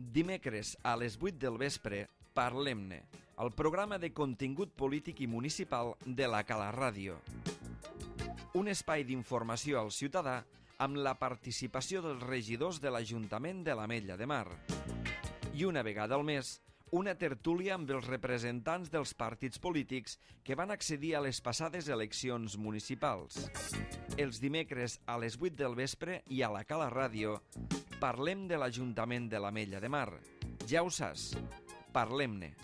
Dimecres a les 8 del vespre, Parlem-ne, el programa de contingut polític i municipal de la Cala Ràdio. Un espai d'informació al ciutadà amb la participació dels regidors de l'Ajuntament de l'Ametlla de Mar. I una vegada al mes, una tertúlia amb els representants dels partits polítics que van accedir a les passades eleccions municipals. Els dimecres a les 8 del vespre i a la Cala Ràdio parlem de l'Ajuntament de l'Ametlla de Mar. Ja ho saps, parlem-ne.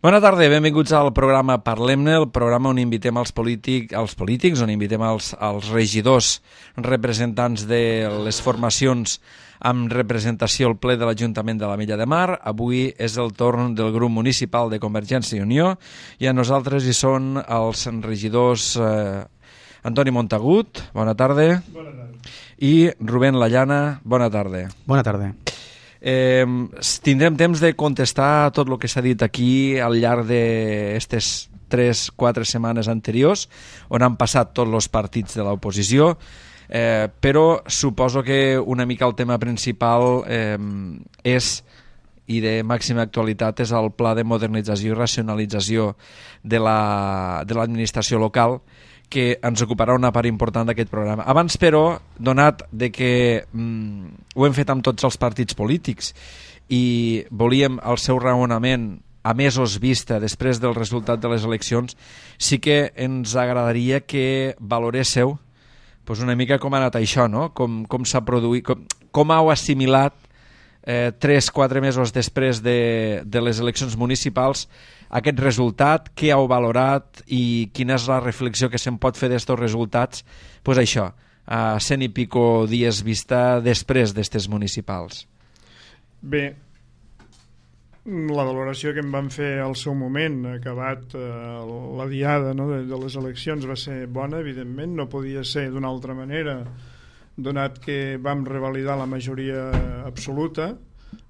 Bona tarda, benvinguts al programa Parlem-ne, el programa on invitem els polítics, on invitem els regidors, representants de les formacions amb representació al ple de l'Ajuntament de l'Ametlla de Mar. Avui és el torn del grup municipal de Convergència i Unió i a nosaltres hi són els regidors Antoni Montagut, bona tarda. Bona tarda. I Rubén Lallana, bona tarda. Bona tarda. Tindrem temps de contestar tot el que s'ha dit aquí al llarg d'aquestes 3-4 setmanes anteriors, on han passat tots els partits de l'oposició, però suposo que una mica el tema principal és, i de màxima actualitat, és el pla de modernització i racionalització de l'administració local, que ens ocuparà una part important d'aquest programa. Abans, però, donat de que ho hem fet amb tots els partits polítics i volíem el seu raonament a mesos vista després del resultat de les eleccions, sí que ens agradaria que valoréssiu una mica com ha anat això, no? Com s'ha produït, com heu assimilat 3-4 mesos després de les eleccions municipals aquest resultat, què heu valorat i quina és la reflexió que se'n pot fer d'estos resultats, això, a 100 i pico dies vista després d'estes municipals. Bé, la valoració que em van fer al seu moment, acabat la diada de les eleccions, va ser bona, evidentment, no podia ser d'una altra manera, donat que vam revalidar la majoria absoluta.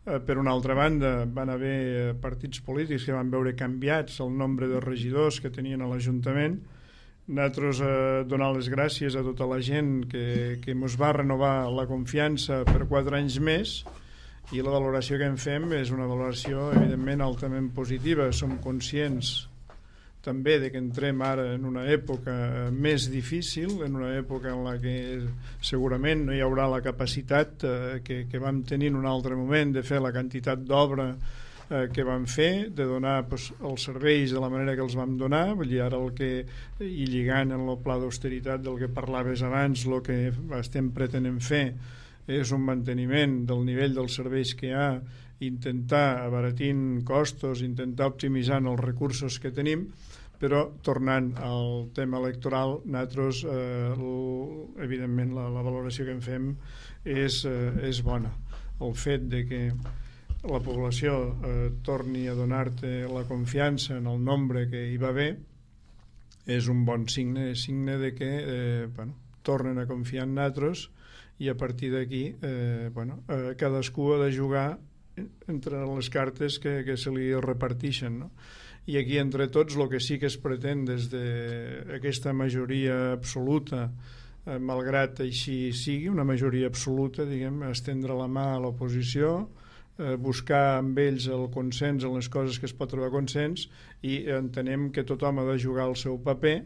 Per una altra banda, van haver partits polítics que van veure canviats el nombre de regidors que tenien a l'Ajuntament. Nosaltres donar les gràcies a tota la gent que ens va renovar la confiança per 4 anys més, i la valoració que en fem és una valoració evidentment altament positiva. Som conscients també de que entrem ara en una època més difícil, en una època en la que segurament no hi haurà la capacitat que vam tenir en un altre moment de fer la quantitat d'obra que vam fer, de donar els serveis de la manera que els vam donar. Vull dir, ara i lligant en el pla d'austeritat del que parlaves abans, el que estem pretenent fer és un manteniment del nivell dels serveis que hi ha, intentar abaratint costos, intentar optimitzar els recursos que tenim. Però tornant al tema electoral, nosaltres evidentment la valoració que en fem és bona. El fet de que la població torni a donar-te la confiança en el nombre que hi va haver és un bon signe, signe de que tornen a confiar en nosaltres, i a partir d'aquí cadascú ha de jugar entre les cartes que se li reparteixen, no? I aquí entre tots el que sí que es pretén des d'aquesta majoria absoluta, malgrat així sigui una majoria absoluta, estendre la mà a l'oposició, buscar amb ells el consens en les coses que es pot trobar consens, i entenem que tothom ha de jugar el seu paper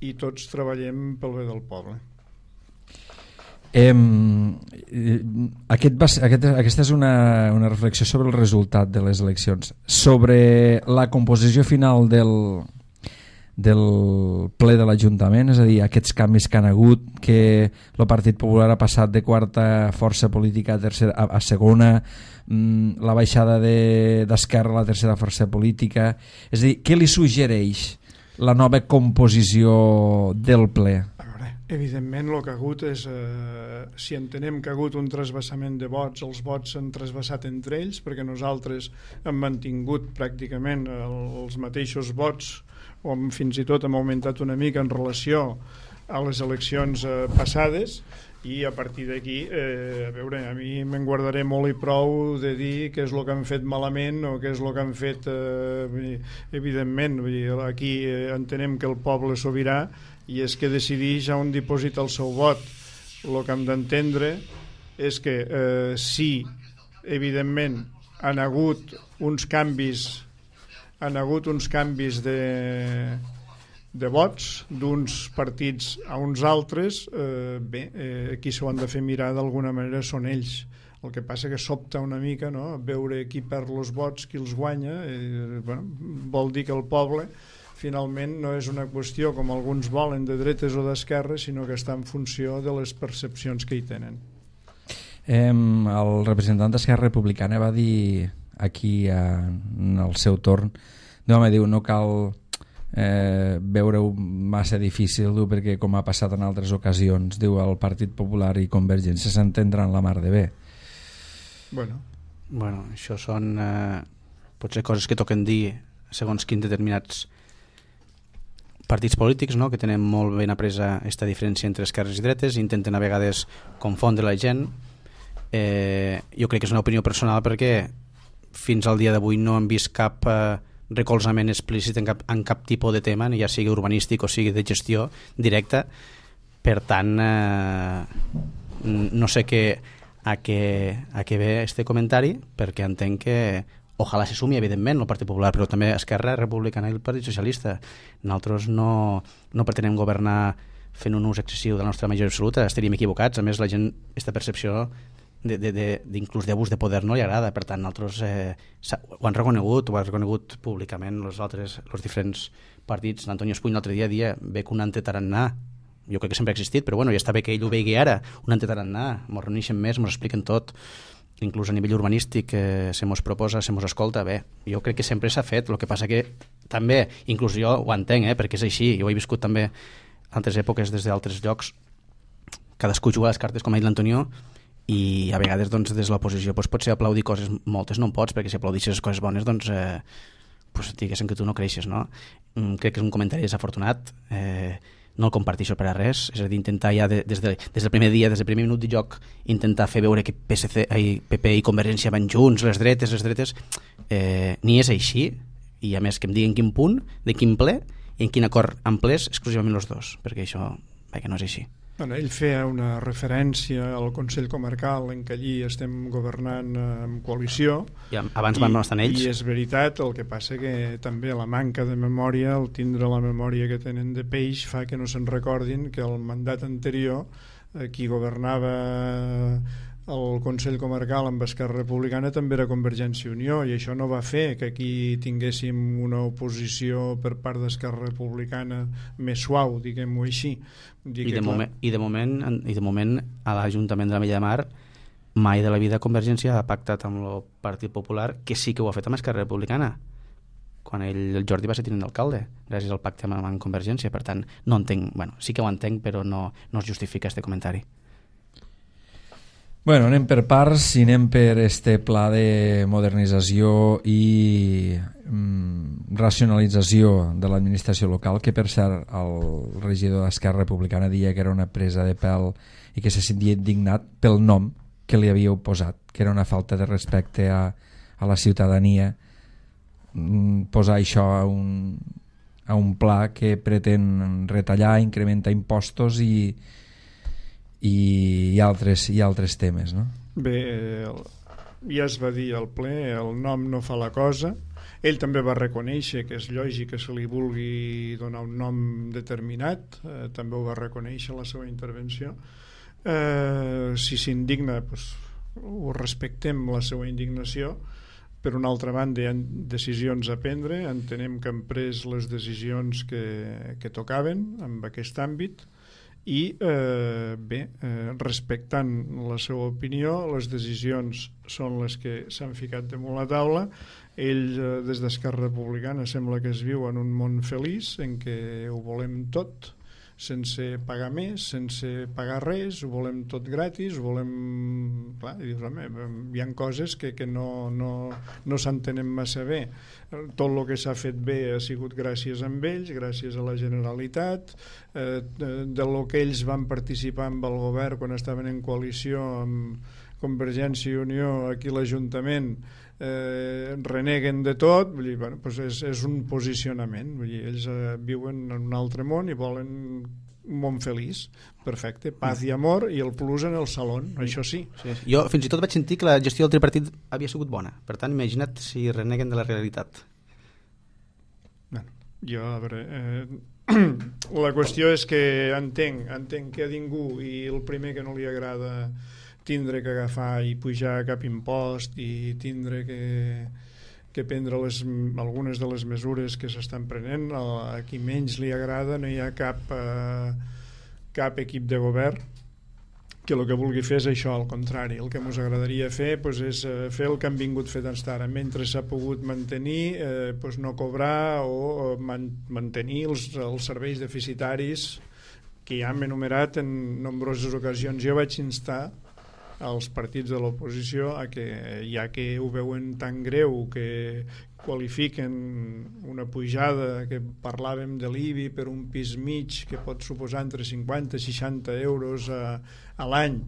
i tots treballem pel bé del poble. Aquesta és una reflexió sobre el resultat de les eleccions. Sobre la composició final del ple de l'Ajuntament, és a dir, aquests canvis que han hagut, que el Partit Popular ha passat de quarta força política a segona, la baixada d'Esquerra a la tercera força política, és a dir, què li suggereix la nova composició del ple? Evidentment el que ha hagut és, si entenem que ha hagut un trasbassament de vots, els vots s'han trasbassat entre ells, perquè nosaltres hem mantingut pràcticament els mateixos vots, o fins i tot hem augmentat una mica en relació a les eleccions passades, i a partir d'aquí a veure, a mi me'n guardaré molt i prou de dir què és el que han fet malament o què és el que han fet evidentment, vull dir, aquí entenem que el poble és sobirà i és que decideix on diposita el seu vot. El que hem d'entendre és que si evidentment han hagut uns canvis de vots d'uns partits a uns altres, qui s'ho han de fer mirar d'alguna manera són ells. El que passa que sobta una mica, no?, veure qui perd els vots, qui els guanya, vol dir que el poble finalment no és una qüestió com alguns volen de dretes o d'esquerres, sinó que està en funció de les percepcions que hi tenen. El representant d'Esquerra Republicana va dir aquí en el seu torn, diu, no cal veure-ho massa difícil, perquè com ha passat en altres ocasions, diu, el Partit Popular i Convergència s'entendran la mar de bé. Bueno, això són potser coses que toquen dir segons quins determinats partits polítics, no?, que tenen molt ben apresa aquesta diferència entre esquerres i dretes, intenten a vegades confondre la gent. Jo crec que és una opinió personal perquè fins al dia d'avui no hem vist cap recolzament explícit en cap tipus de tema, ja sigui urbanístic o sigui de gestió directa. Per tant, no sé a què ve este comentari, perquè entenc que ojalà se sumi, evidentment, el Partit Popular, però també Esquerra Republicana i el Partit Socialista. Nosaltres no pretenem governar fent un ús excessiu de la nostra majoria absoluta, estaríem equivocats. A més, la gent, aquesta percepció d'inclús d'abús de poder no li agrada. Per tant, nosaltres ho han reconegut públicament els diferents partits. L'Antonio Espuny l'altre dia ve que un antetarannà, jo crec que sempre ha existit, però bueno, ja està bé que ell ho vegi ara, un antetarannà, mos reuneixen més, mos expliquen tot, inclús a nivell urbanístic, se mos proposa, se mos escolta. Bé, jo crec que sempre s'ha fet, el que passa que també, inclús jo ho entenc, perquè és així, jo ho he viscut també altres èpoques des d'altres llocs, cadascú juga les cartes, com ha dit l'Antonio, i a vegades des de l'oposició potser aplaudir coses, moltes no en pots, perquè si aplaudixes coses bones diguéssim que tu no creixes, no? Crec que és un comentari desafortunat, no el comparteixo per a res, és a dir, intentar ja des del primer dia, des del primer minut de joc, intentar fer veure que PP i Convergència van junts, les dretes, ni és així, i a més que em diguin quin punt, de quin ple, i en quin acord en plès exclusivament els dos, perquè això que no és així. Ell feia una referència al Consell Comarcal en què allí estem governant en coalició, i abans van estar ells, i és veritat. El que passa que també la manca de memòria, el tindre la memòria que tenen de peix, fa que no se'n recordin que el mandat anterior qui governava el Consell Comarcal amb Esquerra Republicana també era Convergència i Unió, i això no va fer que aquí tinguéssim una oposició per part d'Esquerra Republicana més suau, diguem-ho així. I de moment a l'Ajuntament de l'Ametlla de Mar mai de la vida Convergència ha pactat amb el Partit Popular, que sí que ho ha fet amb Esquerra Republicana quan el Jordi va ser tinent d'alcalde gràcies al pacte amb Convergència. Per tant, no entenc, sí que ho entenc, però no es justifica este comentari. Bueno, anem per parts i anem per este pla de modernització i racionalització de l'administració local, que per cert el regidor d'Esquerra Republicana deia que era una presa de pèl i que se sentia indignat pel nom que li havíeu posat, que era una falta de respecte a la ciutadania posar això a un pla que pretén retallar, incrementar impostos i altres temes, no? Bé, ja es va dir al ple, el nom no fa la cosa. Ell també va reconèixer que és lògic que se li vulgui donar un nom determinat, també ho va reconèixer en la seva intervenció. Si s'indigna, ho respectem, la seva indignació. Per una altra banda, hi ha decisions a prendre, entenem que han pres les decisions que tocaven en aquest àmbit, i respectant la seva opinió, les decisions són les que s'han ficat damunt la taula. Ell, des d'Esquerra Republicana, sembla que es viu en un món feliç en què ho volem tot, sense pagar més, sense pagar res, ho volem tot gratis, ho volem... Clar, i dius, home, hi ha coses que no s'entenen massa bé. Tot el que s'ha fet bé ha sigut gràcies a ells, gràcies a la Generalitat, de lo que ells van participar amb el govern quan estaven en coalició amb Convergència i Unió aquí a l'Ajuntament, reneguen de tot, vull dir, bueno, doncs és un posicionament, vull dir, ells viuen en un altre món i volen un món feliç, perfecte, paz i amor, i el plus en el saló, això sí. Jo fins i tot vaig sentir que la gestió del tripartit havia sigut bona, per tant imagina't si reneguen de la realitat. Bueno, jo, a veure, la qüestió és que entenc que a ningú, i el primer que no li agrada tindre que agafar i pujar cap impost i tindre que prendre algunes de les mesures que s'estan prenent, a qui menys li agrada no hi ha cap equip de govern que el que vulgui fer és això, al contrari. El que ens agradaria fer és fer el que han vingut fet fins ara, mentre s'ha pogut mantenir, no cobrar o mantenir els serveis deficitaris que ja hem enumerat en nombroses ocasions. Jo vaig instar als partits de l'oposició a que, ja que ho veuen tan greu, que qualifiquen una pujada que parlàvem de l'IBI per un pis mig que pot suposar entre 50 i 60 euros a l'any,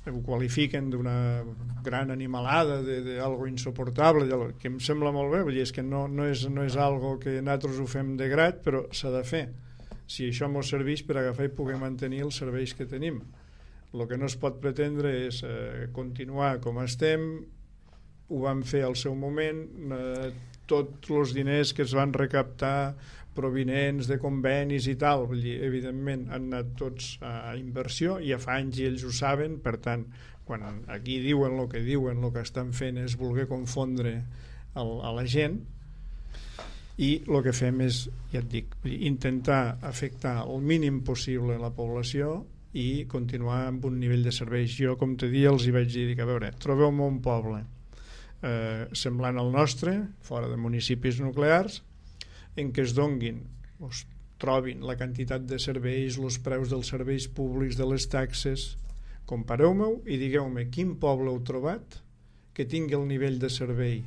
ho qualifiquen d'una gran animalada, d'algo insoportable, que em sembla molt bé, vull dir, és que no és algo que nosaltres ho fem de grat, però s'ha de fer si això ens serveix per agafar i poder mantenir els serveis que tenim. El que no es pot pretendre és continuar com estem, ho vam fer al seu moment, tots els diners que es van recaptar provinents de convenis i tal, vull dir, evidentment han anat tots a inversió, ja fa anys i ells ho saben, per tant, quan aquí diuen el que estan fent és voler confondre a la gent, i el que fem és, ja et dic, intentar afectar el mínim possible la població i continuar amb un nivell de serveis. Jo, com te dia, els hi vaig dir que, a veure, trobeu-me un poble semblant al nostre, fora de municipis nuclears, en què es donguin, es trobin la quantitat de serveis, els preus dels serveis públics, de les taxes. Compareu-me-ho i digueu-me quin poble heu trobat que tingui el nivell de servei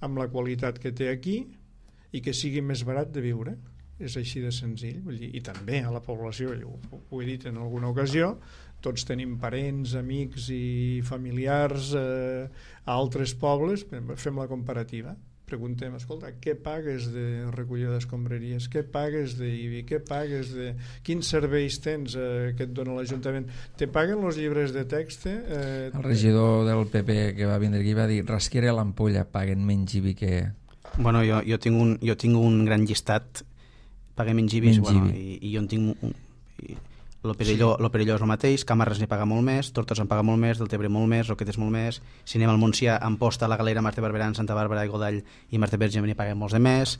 amb la qualitat que té aquí i que sigui més barat de viure. És així de senzill, vull dir, i també a la població, ho he dit en alguna ocasió, tots tenim parents, amics i familiars a altres pobles, fem la comparativa, preguntem, escolta, què pagues de recollida d'escombraries, què pagues d'IBI, què pagues de... quins serveis tens que et dona l'Ajuntament, te paguen els llibres de text? El regidor del PP que va vindre aquí va dir, Rasquera i l'Ampolla paguen menys IBI que... Bueno, jo tinc un gran llistat, paguem menys IBI, bueno, i jo en tinc lo Perelló és el mateix, Camarles n'hi paga molt més, Tortosa en paga molt més, Deltebre molt més, Roquetes molt més, si anem al Montsià, Amposta, La Galera, Mas de Barberà, Santa Bàrbara i Godall i Mas de Verge n'hi paguem molts de més,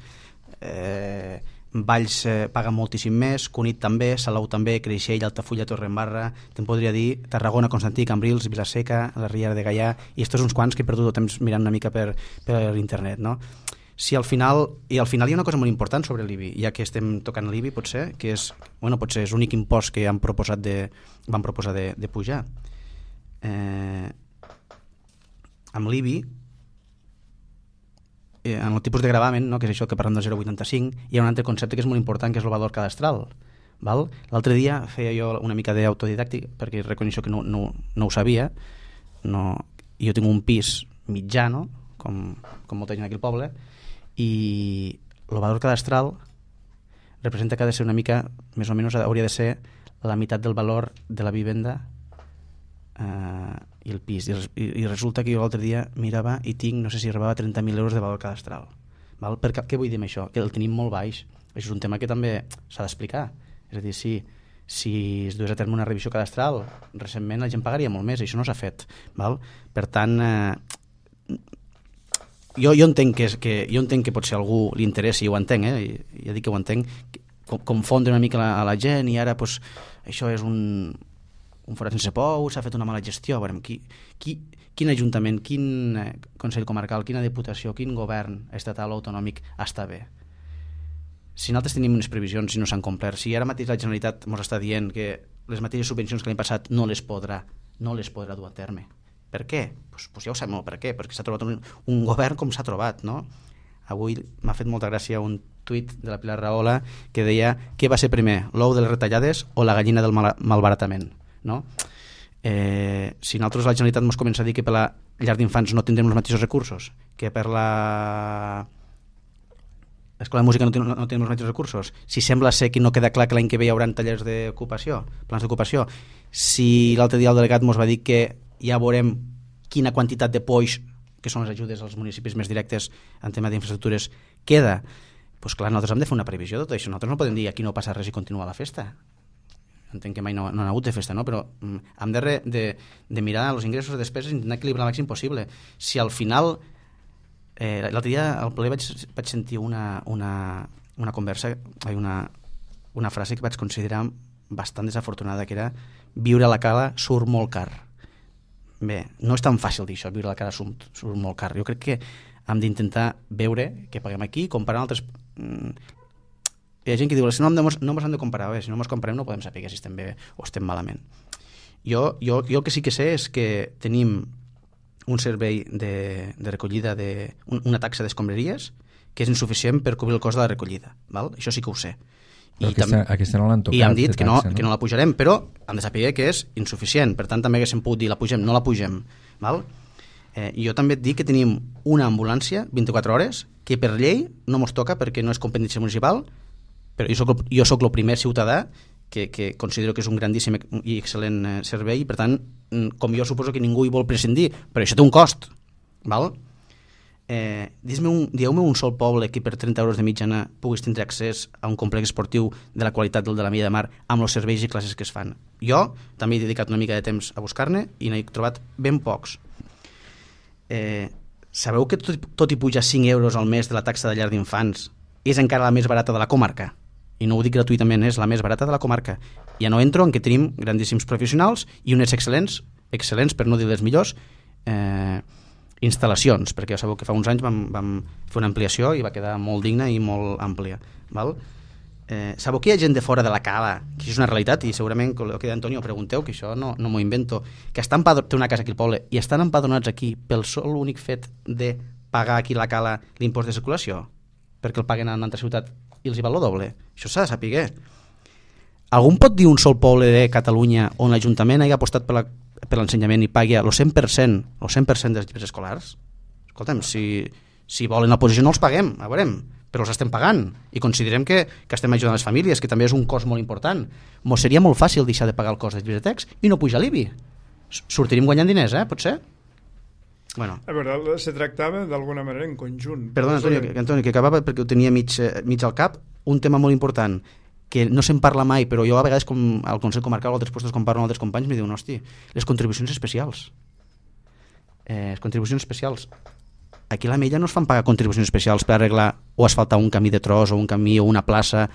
Valls paga moltíssim més, Cunit també, Salou també, Creixell, Altafulla, Torredembarra, te'n podria dir Tarragona, Constantí, Cambrils, Vilaseca, la Riera de Gaià, i estos uns quants que he perdut el temps mirant una mica per internet, no? Si al final hi ha una cosa molt important sobre l'IBI, ja que estem tocant l'IBI, potser és l'únic impost que van proposar de pujar. Amb l'IBI, en el tipus de gravamen, no, que és això que parlem del 0,85, hi ha un altre concepte que és molt important, que és el valor cadastral. L'altre dia feia jo una mica d'autodidàctic, perquè reconeixo que no ho sabia. Jo tinc un pis mitjà, no? com molta gent aquí al poble, i el valor cadastral representa que ha de ser una mica, més o menys hauria de ser la meitat del valor de la vivenda i el pis, i resulta que jo l'altre dia mirava i tinc, no sé si arribava a 30.000 euros de valor cadastral. Què vull dir amb això? Que el tenim molt baix. Això és un tema que també s'ha d'explicar. És a dir, si es dués a terme una revisió cadastral, recentment la gent pagaria molt més, i això no s'ha fet. Per tant, jo entenc que potser a algú li interessi, i ho entenc, ja dic que ho entenc, confondre una mica a la gent, i ara això és un forat sense pou, s'ha fet una mala gestió. Veurem, quin ajuntament, quin Consell Comarcal, quina Diputació, quin govern estatal o autonòmic està bé? si nosaltres tenim unes previsions i no s'han complert, si ara mateix la Generalitat ens està dient que les mateixes subvencions que l'any passat no les podrà dur a terme. Per què? Pues ja ho sabem per què, perquè s'ha trobat un govern com s'ha trobat, no? Avui m'ha fet molta gràcia un tuit de la Pilar Rahola que deia què va ser primer, l'ou de les retallades o la gallina del malbaratament, no? Si nosaltres la Generalitat ens comença a dir que per la llar d'infants no tindrem els mateixos recursos, que per l'escola de música no tenim els mateixos recursos, si sembla ser que no queda clar que l'any que ve hi haurà tallers d'ocupació, plans d'ocupació, si l'altre dia el delegat ens va dir que ja veurem quina quantitat de poix, que són les ajudes als municipis més directes en tema d'infraestructures, queda, doncs clar, nosaltres hem de fer una previsió de tot això. Nosaltres no podem dir aquí no passa res i continua la festa. Entenc que mai no ha hagut de festa, no? Però hem de mirar els ingressos i despeses i intentar equilibrar el màxim possible. Si al final l'altre dia al ple vaig sentir una conversa, una frase que vaig considerar bastant desafortunada, que era viure a la cala surt molt car. Bé, no és tan fàcil dir això, viure a la cala surt molt car. Jo crec que hem d'intentar veure que paguem aquí, comparant altres... Hi ha gent que diu, si no ens hem de comparar, si no ens comparem no podem saber si estem bé o estem malament. Jo el que sí que sé és que tenim un servei de recollida, una taxa d'escombraries que és insuficient per cobrir el cost de la recollida. Val? Això sí que ho sé. Aquesta no l'han tocat. I hem dit que no la pujarem, però hem de saber que és insuficient. Per tant, també haguéssim pogut dir la pugem, no la pugem. Val? Jo també et dic que tenim una ambulància 24 hores que per llei no ens toca perquè no és competència municipal, però jo soc el primer ciutadà que considero que és un grandíssim i excel·lent servei i per tant, com jo suposo que ningú hi vol prescindir, però això té un cost, val? Dieu-me un sol poble que per 30 euros de mitjana puguis tindre accés a un complex esportiu de la qualitat del de la Milla de Mar amb els serveis i classes que es fan. Jo també he dedicat una mica de temps a buscar-ne i n'he trobat ben pocs. Sabeu que tot i pujar 5 euros al mes de la taxa de llar d'infants és encara la més barata de la comarca? I no ho dic gratuïtament, és la més barata de la comarca. Ja no entro en que tenim grandíssims professionals i unes excel·lents, per no dir les millors, instal·lacions, perquè ja sabeu que fa uns anys vam fer una ampliació i va quedar molt digna i molt àmplia. Val? Sabeu que hi ha gent de fora de la cala, que això és una realitat, i segurament, el que d'Antonio pregunteu, que això no m'ho invento, que té una casa aquí al poble i estan empadronats aquí pel sol únic fet de pagar aquí a la cala l'impost de circulació, perquè el paguen a una altra ciutat i els hi val el doble. Això s'ha de saber. Algú pot dir un sol poble de Catalunya on l'Ajuntament hagi apostat per l'ensenyament i pagui el 100% dels llibres escolars? Escolta'm, si volen la posició no els paguem, a veurem, però els estem pagant i considerem que estem ajudant les famílies, que també és un cost molt important. Mos seria molt fàcil deixar de pagar el cost dels llibres de text i no pujar l'IBI. Sortiríem guanyant diners, potser? Bueno. A veure, se tractava d'alguna manera en conjunt. Perdona, Antonio, que acabava perquè ho tenia mig al cap, un tema molt important que no se'n parla mai, però jo a vegades com al Consell Comarcal o altres puestos com parlo amb altres companys me diuen, hosti, les contribucions especials. Aquí a la Mella no es fan pagar contribucions especials per arreglar o asfaltar un camí de tros o un camí o una plaça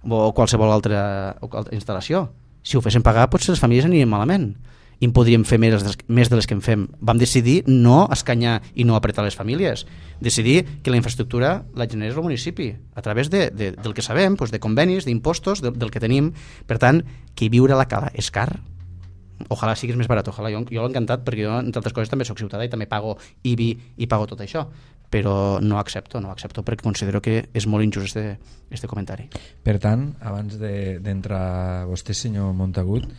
o qualsevol altra instal·lació. Si ho fessin pagar, potser les famílies anirien malament i en podríem fer més de les que en fem. Vam decidir no escanyar i no apretar les famílies, decidir que la infraestructura la generés el municipi a través del que sabem, de convenis, d'impostos, del que tenim. Per tant, que viure a la cala és car. Ojalà siguis més barat, ojalà. Jo l'he encantat perquè jo, entre altres coses, també soc ciutadà i també pago IBI i pago tot això, però no accepto perquè considero que és molt injust este comentari. Per tant, abans d'entrar vostè, senyor Montagut,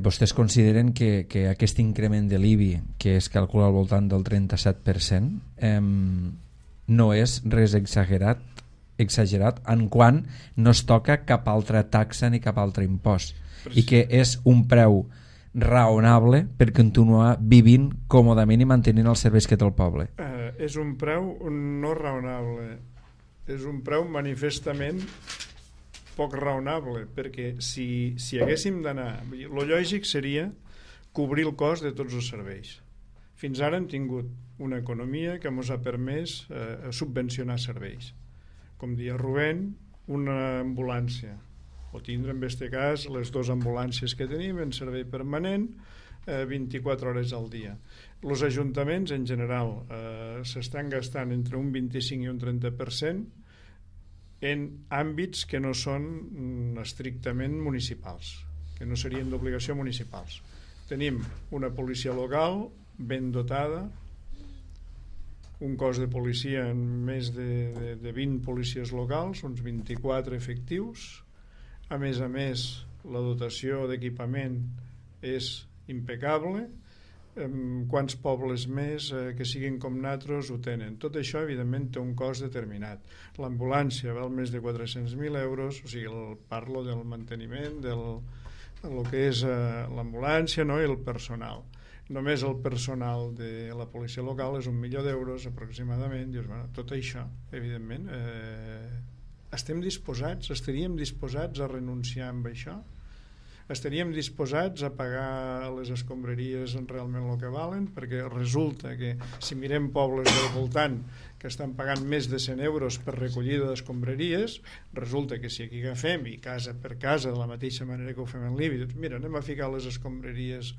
vostès consideren que aquest increment de l'IBI, que es calcula al voltant del 37%, no és res exagerat en quant no es toca cap altra taxa ni cap altre impost, i que és un preu raonable per continuar vivint còmodament i mantenint els serveis que té el poble. És un preu no raonable, és un preu manifestament poc raonable, perquè si haguéssim d'anar, el lògic seria cobrir el cost de tots els serveis. Fins ara hem tingut una economia que ens ha permès subvencionar serveis. Com dia Rubén, una ambulància, o tindre en aquest cas les 2 ambulàncies que tenim en servei permanent 24 hores al dia. Els ajuntaments en general s'estan gastant entre un 25 i un 30% en àmbits que no són estrictament municipals, que no serien d'obligació municipals. Tenim una policia local ben dotada, un cos de policia en més de 20 policies locals, uns 24 efectius. A més, la dotació d'equipament és impecable. Quants pobles més que siguin com nosaltres ho tenen. Tot això, evidentment, té un cost determinat. L'ambulància val més de 400.000 euros, o sigui, parlo del manteniment, del que és l'ambulància, no? I el personal. Només el personal de la policia local és 1 milió d'euros aproximadament. Dius, bueno, tot això, evidentment, estaríem disposats a renunciar amb això? Estaríem disposats a pagar les escombraries realment el que valen? Perquè resulta que si mirem pobles del voltant que estan pagant més de 100 euros per recollida d'escombraries, resulta que si aquí agafem i casa per casa, de la mateixa manera que ho fem en l'IBI, doncs mira, anem a ficar les escombraries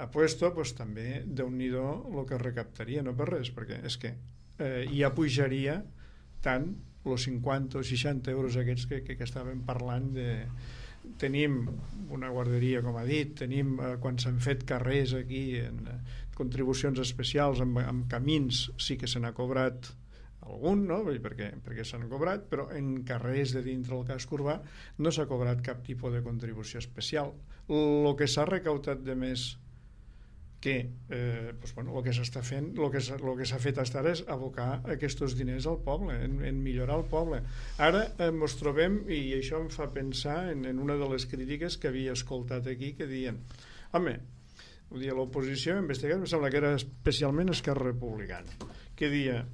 a puesto, doncs també Déu-n'hi-do el que recaptaria, no per res, perquè és que ja pujaria tant els 50 o 60 euros aquests que estàvem parlant de... Tenim una guarderia, com ha dit, tenim quan s'han fet carrers aquí en contribucions especials amb camins, sí que se n'ha cobrat algun, no? perquè s'han cobrat, però en carrers de dintre del casc urbà no s'ha cobrat cap tipus de contribució especial. El que s'ha recaptat de més que el que s'està fent, el que s'ha fet fins ara és abocar aquests diners al poble, en millorar el poble. Ara ens trobem, i això em fa pensar en una de les crítiques que havia escoltat aquí, que diuen, home, ho dia l'oposició, en aquest cas em sembla que era especialment Esquerra Republicana, que dia,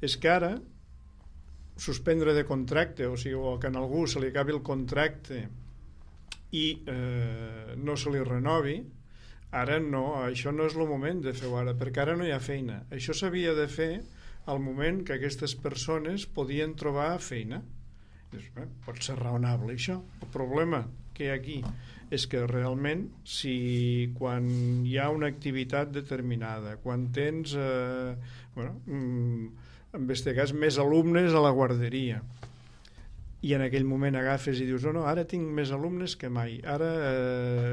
és que ara suspendre de contracte, o sigui, o que a algú se li acabi el contracte i no se li renovi, ara no, això no és el moment de fer-ho ara, perquè ara no hi ha feina. Això s'havia de fer al moment que aquestes persones podien trobar feina. Pot ser raonable això. El problema que hi ha aquí és que realment si quan hi ha una activitat determinada, quan tens en aquest cas més alumnes a la guarderia, i en aquell moment agafes i dius no, ara tinc més alumnes que mai, ara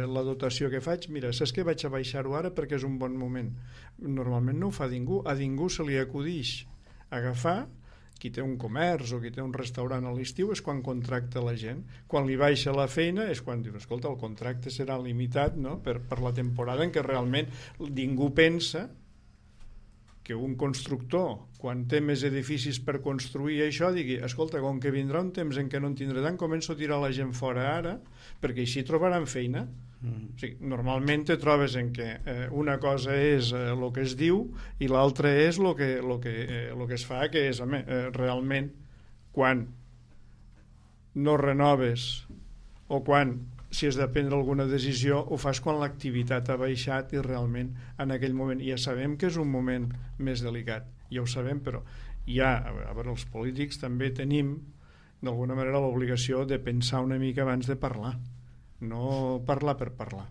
la dotació que faig, mira, saps que vaig a baixar-ho ara perquè és un bon moment. Normalment no ho fa ningú, a ningú se li acudix agafar, qui té un comerç o qui té un restaurant a l'estiu és quan contracta la gent, quan li baixa la feina és quan diu, escolta, el contracte serà limitat, no? per la temporada en què realment ningú pensa que un constructor, quan té més edificis per construir això, digui, escolta, com que vindrà un temps en què no en tindré tant, començo a tirar la gent fora ara, perquè així trobaran feina. O sigui, normalment te trobes en què una cosa és el que es diu i l'altra és el que es fa, que és, realment, quan no renoves o quan si has de prendre alguna decisió, ho fas quan l'activitat ha baixat i realment en aquell moment ja sabem que és un moment més delicat, ja ho sabem, però ja, a veure, els polítics també tenim d'alguna manera l'obligació de pensar una mica abans de parlar, no parlar per parlar.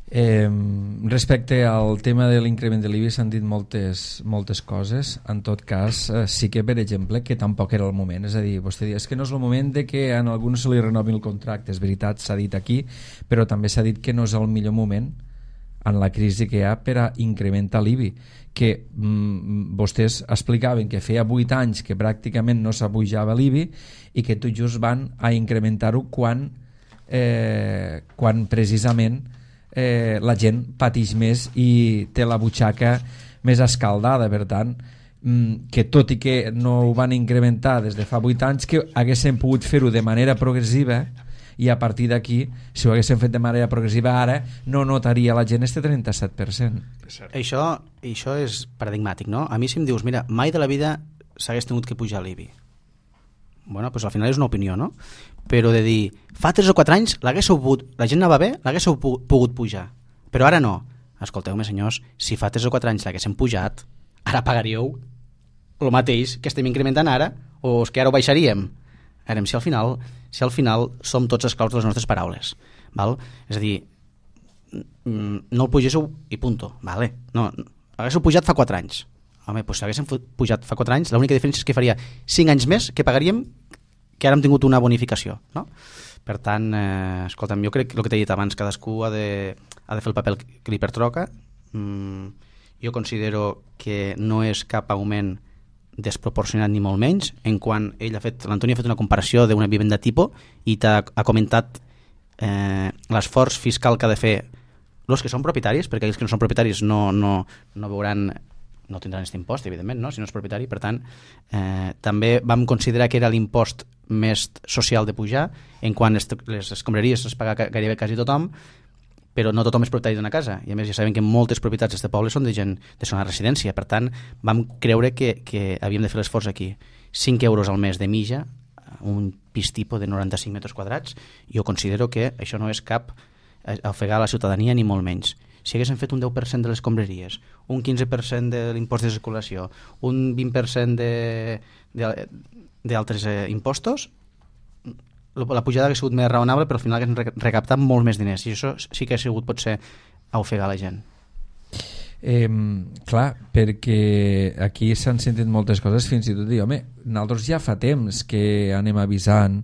Respecte al tema de l'increment de l'IBI s'han dit moltes coses. En tot cas, sí que, per exemple, que tampoc era el moment. És a dir, vostè diu, és que no és el moment de que a alguns se li renovin el contracte. És veritat, s'ha dit aquí, però també s'ha dit que no és el millor moment en la crisi que hi ha per a incrementar l'IBI, que vostès explicaven que feia 8 anys que pràcticament no s'apujava l'IBI i que tot just van a incrementar-ho quan precisament la gent pateix més i té la butxaca més escaldada. Per tant, que tot i que no ho van incrementar des de fa 8 anys, que haguessin pogut fer-ho de manera progressiva, i a partir d'aquí, si ho haguessin fet de manera progressiva ara, no notaria la gent este 37%. Això és paradigmàtic, no? A mi si em dius, mira, mai de la vida s'hagués tingut que pujar l'IBI. Bueno, doncs al final és una opinió, no? Però de dir, fa 3 o 4 anys la gent anava bé, l'haguéssiu pogut pujar, però ara no. Escolteu-me, senyors, si fa 3 o 4 anys l'haguéssim pujat, ara pagaríeu el mateix que estem incrementant ara, o és que ara ho baixaríem? Ara, si al final som tots esclaus de les nostres paraules, val? És a dir, no el pugéssiu i punto, vale? No, l'haguéssiu pujat fa 4 anys, home, doncs si haguéssim pujat fa 4 anys, l'única diferència és que faria 5 anys més que pagaríem que ara hem tingut una bonificació, no? Per tant, escolta'm, jo crec que el que t'he dit abans, cadascú ha de fer el paper que li pertoca. Jo considero que no és cap augment desproporcionat ni molt menys, en quan l'Antoni ha fet una comparació d'una vivenda tipus i ha comentat l'esforç fiscal que ha de fer els que són propietaris, perquè aquells que no són propietaris no veuran, no tindran aquest impost, evidentment, no? Si no és propietari. Per tant, també vam considerar que era l'impost més social de pujar, en quan les escombraries es paga gairebé quasi tothom, però no tothom és propietari d'una casa, i a més ja sabem que moltes propietats d'aquest poble són de gent de zona de residència. Per tant, vam creure que havíem de fer l'esforç aquí. 5 euros al mes de mitja, un pis tipus de 95 metres quadrats, jo considero que això no és cap ofegar la ciutadania ni molt menys. Si haguéssim fet un 10% de les escombraries, un 15% de l'impost de circulació, un 20% d'altres impostos, la pujada hauria sigut més raonable, però al final haguéssim recaptat molt més diners, i això sí que ha sigut potser a ofegar la gent. Clar, perquè aquí s'han sentit moltes coses, fins i tot dir, home, nosaltres ja fa temps que anem avisant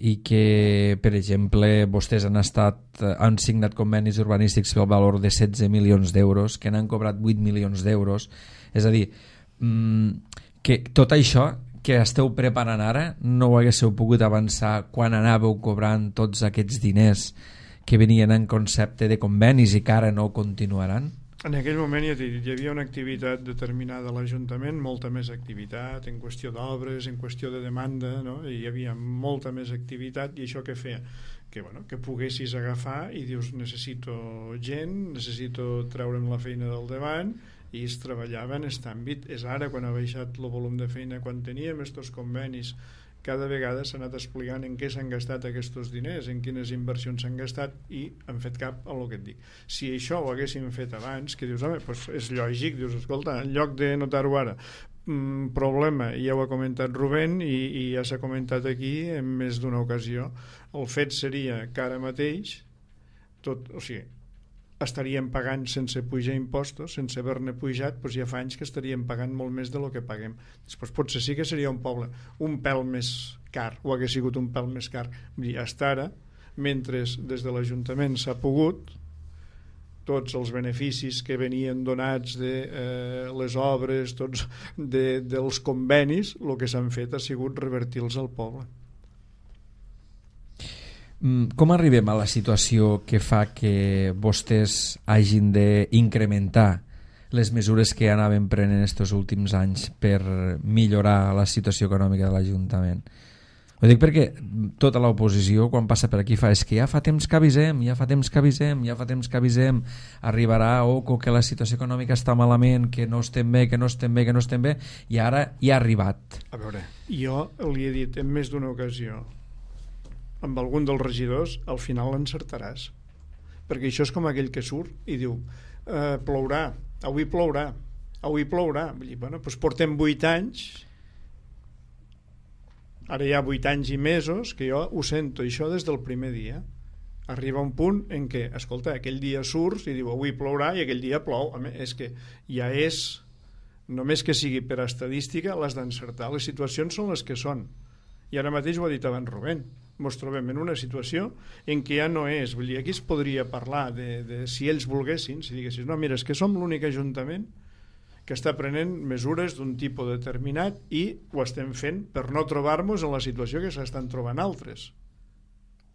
i que, per exemple, vostès han signat convenis urbanístics pel valor de 16 milions d'euros, que n'han cobrat 8 milions d'euros. És a dir, que tot això que esteu preparant ara no ho haguéssiu pogut avançar quan anàveu cobrant tots aquests diners que venien en concepte de convenis i que ara no continuaran? En aquell moment ja t'he dit, hi havia una activitat determinada a l'Ajuntament, molta més activitat en qüestió d'obres, en qüestió de demanda, no? I hi havia molta més activitat, i això què feia? Que poguessis agafar i dius, necessito gent, necessito treure'm la feina del davant, i es treballava en aquest àmbit. És ara quan ha baixat el volum de feina, quan teníem estos convenis, cada vegada s'ha anat explicant en què s'han gastat aquests diners, en quines inversions s'han gastat, i han fet cap a el que et dic. Si això ho haguéssim fet abans, que dius, home, doncs és lògic, dius, escolta, en lloc de notar-ho ara, problema, ja ho ha comentat Rubén i ja s'ha comentat aquí en més d'una ocasió, el fet seria que ara mateix estaríem pagant sense pujar impostos, sense haver-ne pujat, doncs ja fa anys que estaríem pagant molt més del que paguem. Després potser sí que seria un poble un pèl més car, o hagués sigut un pèl més car. Hasta ara, mentre des de l'Ajuntament s'ha pogut, tots els beneficis que venien donats de les obres, tots dels convenis, el que s'han fet ha sigut revertir-los al poble. Com arribem a la situació que fa que vostès hagin d'incrementar les mesures que anaven prenent estos últims anys per millorar la situació econòmica de l'Ajuntament? Ho dic perquè tota l'oposició, quan passa per aquí, és que ja fa temps que avisem, arribarà que la situació econòmica està malament, que no estem bé, i ara ja ha arribat. A veure, jo li he dit en més d'una ocasió, amb algun dels regidors, al final l'encertaràs, perquè això és com aquell que surt i diu, plourà, avui plourà. Vull dir, bueno, doncs portem 8 anys, ara hi ha 8 anys i mesos que jo ho sento, això des del primer dia. Arriba un punt en què, escolta, aquell dia surts i diu, avui plourà, i aquell dia plou. És que ja és, només que sigui per estadística, les d'encertar. Les situacions són les que són. I ara mateix ho ha dit abans Rubén, ens trobem en una situació en què ja no és, vull dir, aquí es podria parlar de si ells volguessin, si diguessin, no, mira, és que som l'únic ajuntament que està prenent mesures d'un tipus determinat i ho estem fent per no trobar-nos en la situació que s'estan trobant altres.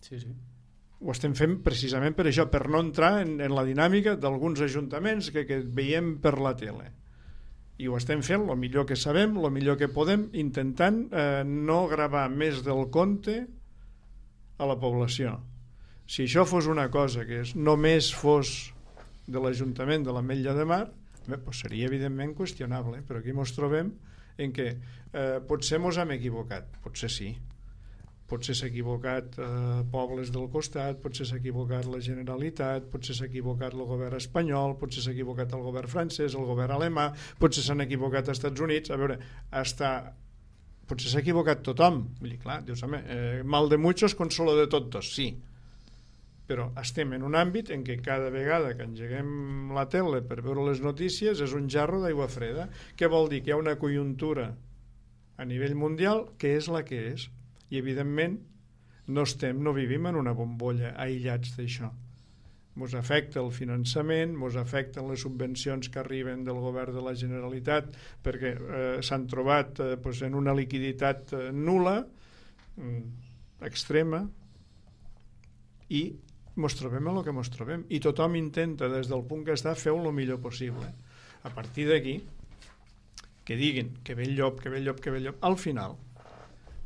Sí. Ho estem fent precisament per això, per no entrar en la dinàmica d'alguns ajuntaments que veiem per la tele. I ho estem fent el millor que sabem, el millor que podem, intentant no gravar més del compte a la població. Si això fos una cosa que només fos de l'Ajuntament de l'Ametlla de Mar, doncs seria evidentment qüestionable, però aquí ens trobem en què potser ens hem equivocat, potser sí, potser s'ha equivocat pobles del costat, potser s'ha equivocat la Generalitat, potser s'ha equivocat el govern espanyol, potser s'ha equivocat el govern francès, el govern alemà, potser s'han equivocat als Estats Units. A veure, potser s'ha equivocat tothom. Vull dir, clar, dius, home, mal de muchos, consuelo de todos, sí. però estem en un àmbit en què cada vegada que engeguem la tele per veure les notícies és un jarro d'aigua freda. Què vol dir? Que hi ha una conjuntura a nivell mundial que és la que és, i evidentment no vivim en una bombolla aïllats d'això. Mos afecta el finançament, mos afecten les subvencions que arriben del govern de la Generalitat perquè s'han trobat en una liquiditat nul·la, extrema, i mos trobem el que mos trobem, i tothom intenta des del punt que està fer-ho el millor possible. A partir d'aquí que diguin que ve el llop, que ve el llop, que ve el llop, al final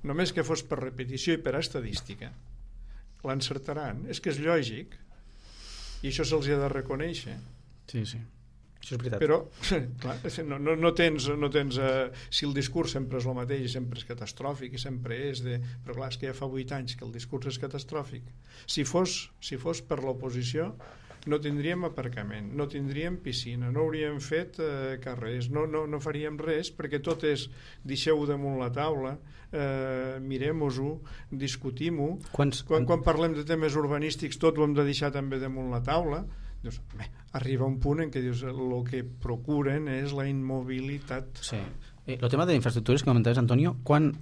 només que fos per repetició i per estadística l'encertaran. És que és lògic, i això se'ls ha de reconèixer. Sí, sí, això és veritat. Però clar, no tens si el discurs sempre és el mateix i sempre és catastròfic i sempre és però clar, és que ja fa 8 anys que el discurs és catastròfic. Si fos per l'oposició no tindríem aparcament, no tindríem piscina, no hauríem fet carrers, no faríem res, perquè tot és deixeu-ho damunt la taula, mirem-ho, discutim-ho. Quan parlem de temes urbanístics tot ho hem de deixar també damunt la taula. Dius, arriba un punt en què dius el que procuren és la immobilitat. Sí. El tema de infraestructures que comentaves, Antonio, quant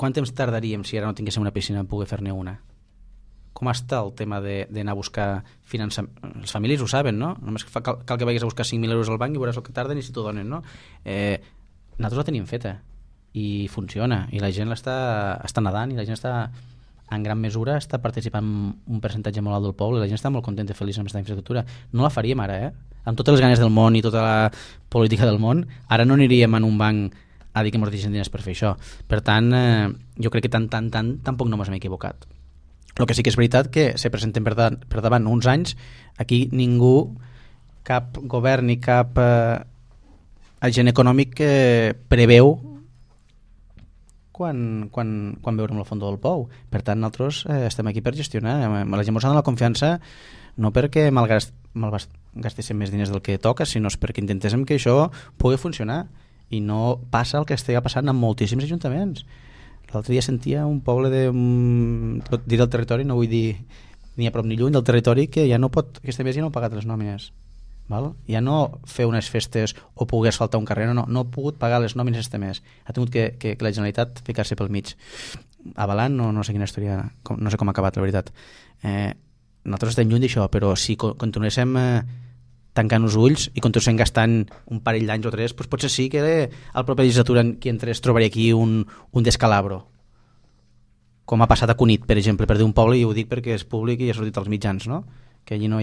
temps tardaríem si ara no tinguéssim una piscina en poder fer-ne una? Com està el tema d'anar a buscar finançament? Les famílies ho saben, no? Només cal que vagis a buscar 5.000 euros al banc i veuràs el que tarden i si t'ho donen, no? Nosaltres la tenim feta i funciona, i la gent està nedant, i la gent està en gran mesura està participant un percentatge molt alt del poble, la gent està molt contenta i feliç amb aquesta infraestructura. No la faríem ara, amb totes les ganes del món i tota la política del món, ara no aniríem en un banc a dir que ens deixen diners per fer això. Per tant, jo crec que tampoc no ens hem equivocat. El que sí que és veritat que se presenten per davant uns anys, aquí ningú, cap govern ni cap agent econòmic preveu quan veurem el fons del pou. Per tant, nosaltres estem aquí per gestionar. La gent ens dona la confiança no perquè malgastéssim més diners del que toca, sinó perquè intentéssim que això pugui funcionar, i no passa el que estigui passant en moltíssims ajuntaments. L'altre dia sentia un poble dir del territori, no vull dir ni a prop ni lluny del territori, que ja no pot, aquest mes ja no ha pagat les nòmines. Val? Ja no fer unes festes o poder asfaltar un carrer, no ha pogut pagar les nòmines este mes. Ha tingut que la Generalitat ficar-se pel mig. Avalant, no sé quina història, no sé com ha acabat, la veritat. Nosaltres estem lluny d'això, però si continuéssim tancant els ulls i continuéssim gastant un parell d'anys o 3, doncs potser sí que al proper legislatura qui entrés trobaria aquí un descalabro. Com ha passat a Cunit, per exemple, per dir un poble, i ho dic perquè és públic i ha sortit als mitjans, no? Que allí no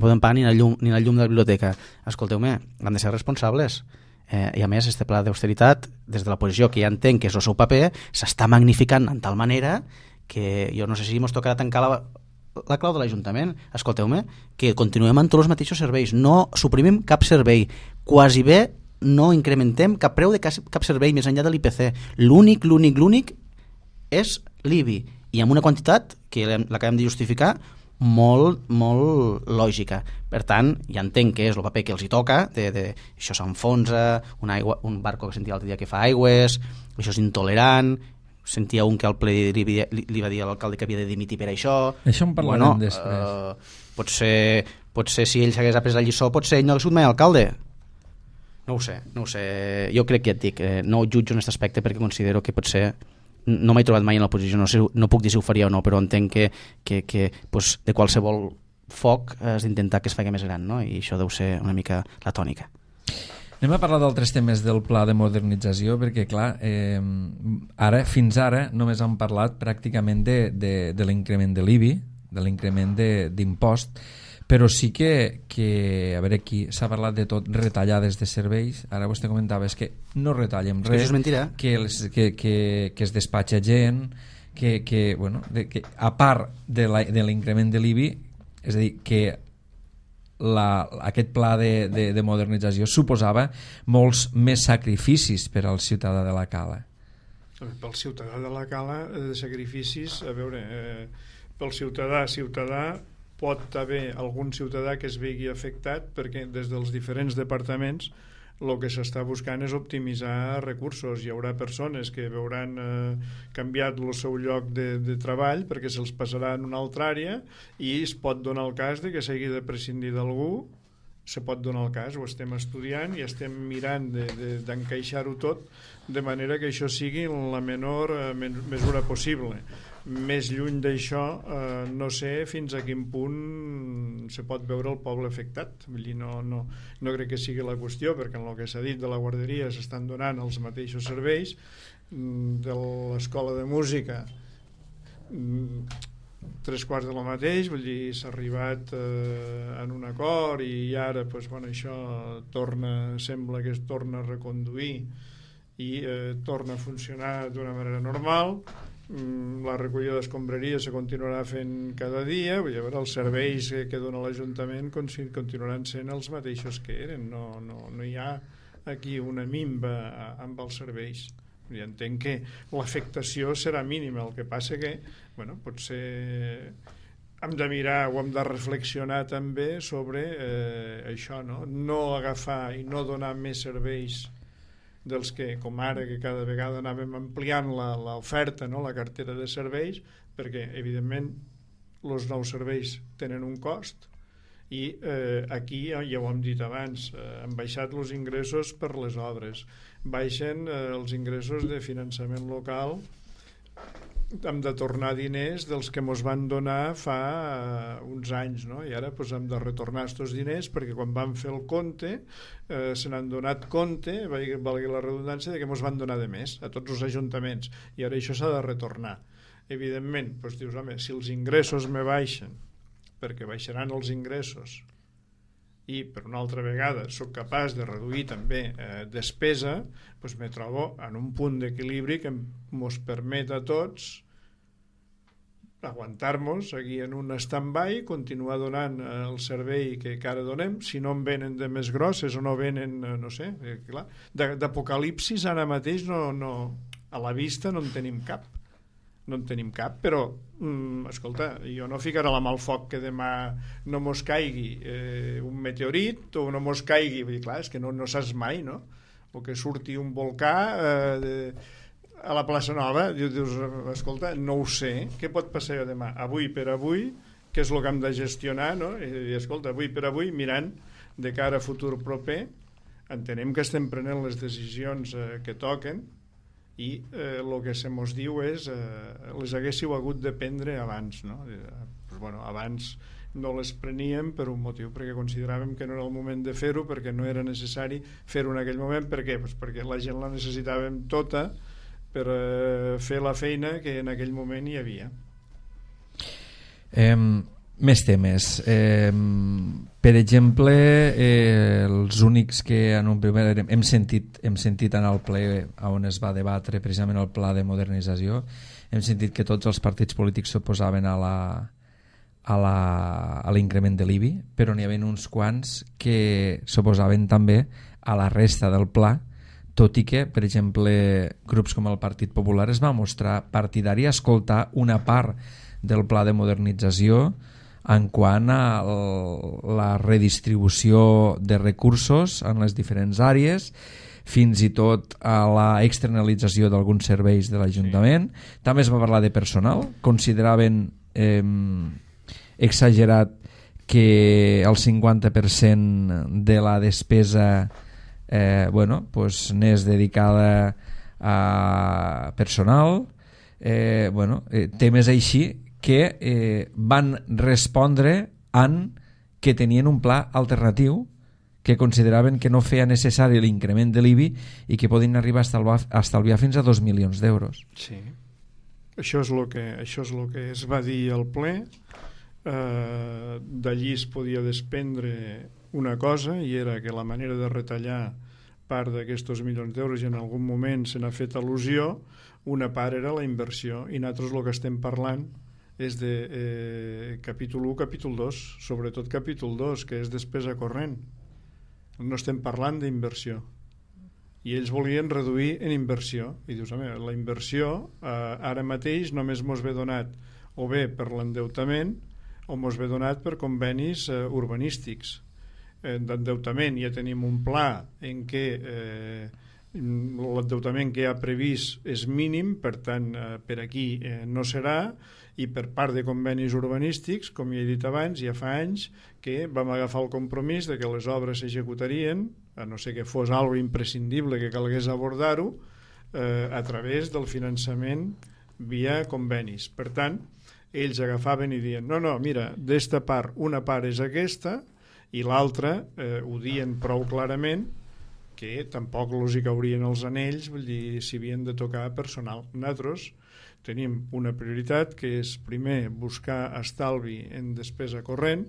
podem pagar ni la llum de la biblioteca. Escolteu-me, han de ser responsables. I a més, este pla d'austeritat, des de l'oposició, que ja entenc que és el seu paper, s'està magnificant en tal manera que jo no sé si ens tocarà tancar la clau de l'Ajuntament. Escolteu-me, que continuem amb tots els mateixos serveis, no suprimim cap servei, quasi bé no incrementem cap preu de cap servei més enllà de l'IPC. L'únic és l'IBI, i amb una quantitat que l'acabem de justificar molt lògica. Per tant, ja entenc que és el paper que els hi toca, això s'enfonsa, un barco que sentia l'altre dia que fa aigües, això és intolerant. Sentia un que al ple li va dir a l'alcalde que havia de dimitir per això. Això en parlarem després. Potser si ell s'hagués après la lliçó, potser ell no hagués sigut mai alcalde. No ho sé. Jo crec que ja et dic, no ho jutjo en aquest aspecte perquè considero que potser no m'he trobat mai en l'oposició, no puc dir si ho faria o no, però entenc que pues, de qualsevol foc has d'intentar que es faci més gran, no? I això deu ser una mica la tònica. Anem a parlar d'altres temes del pla de modernització, perquè clar, fins ara només hem parlat pràcticament de l'increment de l'IBI, de l'increment d'impost, però sí que a veure, aquí s'ha parlat de tot, retallades de serveis. Ara vostè comentava que no retallem res, això és mentira, que es despatxa gent, que a part de l'increment de l'IBI, és a dir, que aquest pla de modernització suposava molts més sacrificis per al ciutadà de la Cala. Pel ciutadà de la Cala, de sacrificis, a veure, pel ciutadà pot haver algun ciutadà que es vegi afectat perquè des dels diferents departaments el que s'està buscant és optimitzar recursos. Hi haurà persones que veuran canviat el seu lloc de treball perquè se'ls passarà en una altra àrea i es pot donar el cas de que s'hagi de prescindir d'algú, se pot donar el cas, ho estem estudiant i estem mirant d'encaixar-ho tot de manera que això sigui la menor mesura possible. Més lluny d'això, no sé fins a quin punt se pot veure el poble afectat. Vull dir, no crec que sigui la qüestió, perquè en el que s'ha dit de la guarderia s'estan donant els mateixos serveis, de l'escola de música 3/4 del mateix, vull dir, s'ha arribat en un acord i ara això sembla que es torna a reconduir i torna a funcionar d'una manera normal. La recollida d'escombraria se continuarà fent cada dia, vull dir, els serveis que dona l'Ajuntament continuaran sent els mateixos que eren, no hi ha aquí una minva amb els serveis. I entenc que l'afectació serà mínima, el que passa que potser hem de mirar o hem de reflexionar també sobre això, no agafar i no donar més serveis dels que, com ara, que cada vegada anàvem ampliant l'oferta, la cartera de serveis, perquè evidentment els nous serveis tenen un cost i aquí, ja ho hem dit abans, han baixat els ingressos per les obres, baixen els ingressos de finançament local, hem de tornar diners dels que ens van donar fa uns anys, i ara hem de retornar aquests diners perquè quan vam fer el compte se n'han donat compte, valgui la redundància, de que ens van donar de més a tots els ajuntaments i ara això s'ha de retornar. Evidentment, dius, home, si els ingressos me baixen, perquè baixaran els ingressos i per una altra vegada sóc capaç de reduir també despesa, me trobo en un punt d'equilibri que ens permet a tots aguantar-nos aquí en un stand-by, continuar donant el servei que ara donem. Si no en venen de més grosses o no venen, no sé, clar, d'apocalipsis ara mateix a la vista no en tenim cap. Però escolta, jo no ficaré la mà al foc que demà no mos caigui un meteorit o no mos caigui, vull dir, clar, és que no saps mai, no? O que surti un volcà a la plaça Nova, dius, escolta, no ho sé, què pot passar demà? Avui per avui, què és el que hem de gestionar, no? I escolta, avui per avui, mirant de cara a futur proper, entenem que estem prenent les decisions que toquen i el que se mos diu és les haguéssiu hagut de prendre abans, no? Abans no les preníem per un motiu, perquè consideràvem que no era el moment de fer-ho, perquè no era necessari fer-ho en aquell moment. Per què? Perquè la gent la necessitàvem tota per fer la feina que en aquell moment hi havia. Més temes. Per exemple, els únics que en un primer hem sentit en el ple on es va debatre precisament el pla de modernització, hem sentit que tots els partits polítics s'oposaven a l'increment de l'IBI, però n'hi havia uns quants que s'oposaven també a la resta del pla, tot i que, per exemple, grups com el Partit Popular es va mostrar partidari a escoltar una part del pla de modernització en quant a la redistribució de recursos en les diferents àrees, fins i tot a la externalització d'alguns serveis de l'Ajuntament. Sí. També es va parlar de personal. Consideraven exagerat que el 50% de la despesa n'és dedicada a personal, temes així que van respondre en que tenien un pla alternatiu, que consideraven que no feia necessari l'increment de l'IBI i que podien arribar a estalviar fins a 2 milions d'euros. Sí, això és el que es va dir al ple. D'allí es podia desprendre una cosa, i era que la manera de retallar part d'aquests milions d'euros, i en algun moment se n'ha fet al·lusió, una part era la inversió, i nosaltres el que estem parlant és de capítol 1, capítol 2, sobretot capítol 2, que és despesa corrent. No estem parlant d'inversió, i ells volien reduir en inversió, i dius, home, la inversió ara mateix només mos ve donat o bé per l'endeutament o mos ve donat per convenis urbanístics. d'endeutament ja tenim un pla en què l'endeutament que hi ha previst és mínim, per tant per aquí no serà, i per part de convenis urbanístics, com ja he dit abans, ja fa anys que vam agafar el compromís de que les obres s'executarien, a no ser que fos algo imprescindible que calgués abordar-ho, a través del finançament via convenis. Per tant, ells agafaven i diuen no, mira, d'esta part, una part és aquesta i l'altra ho dien prou clarament que tampoc els hi caurien els anells, vull dir, si havien de tocar personal. Nosaltres tenim una prioritat que és primer buscar estalvi en despesa corrent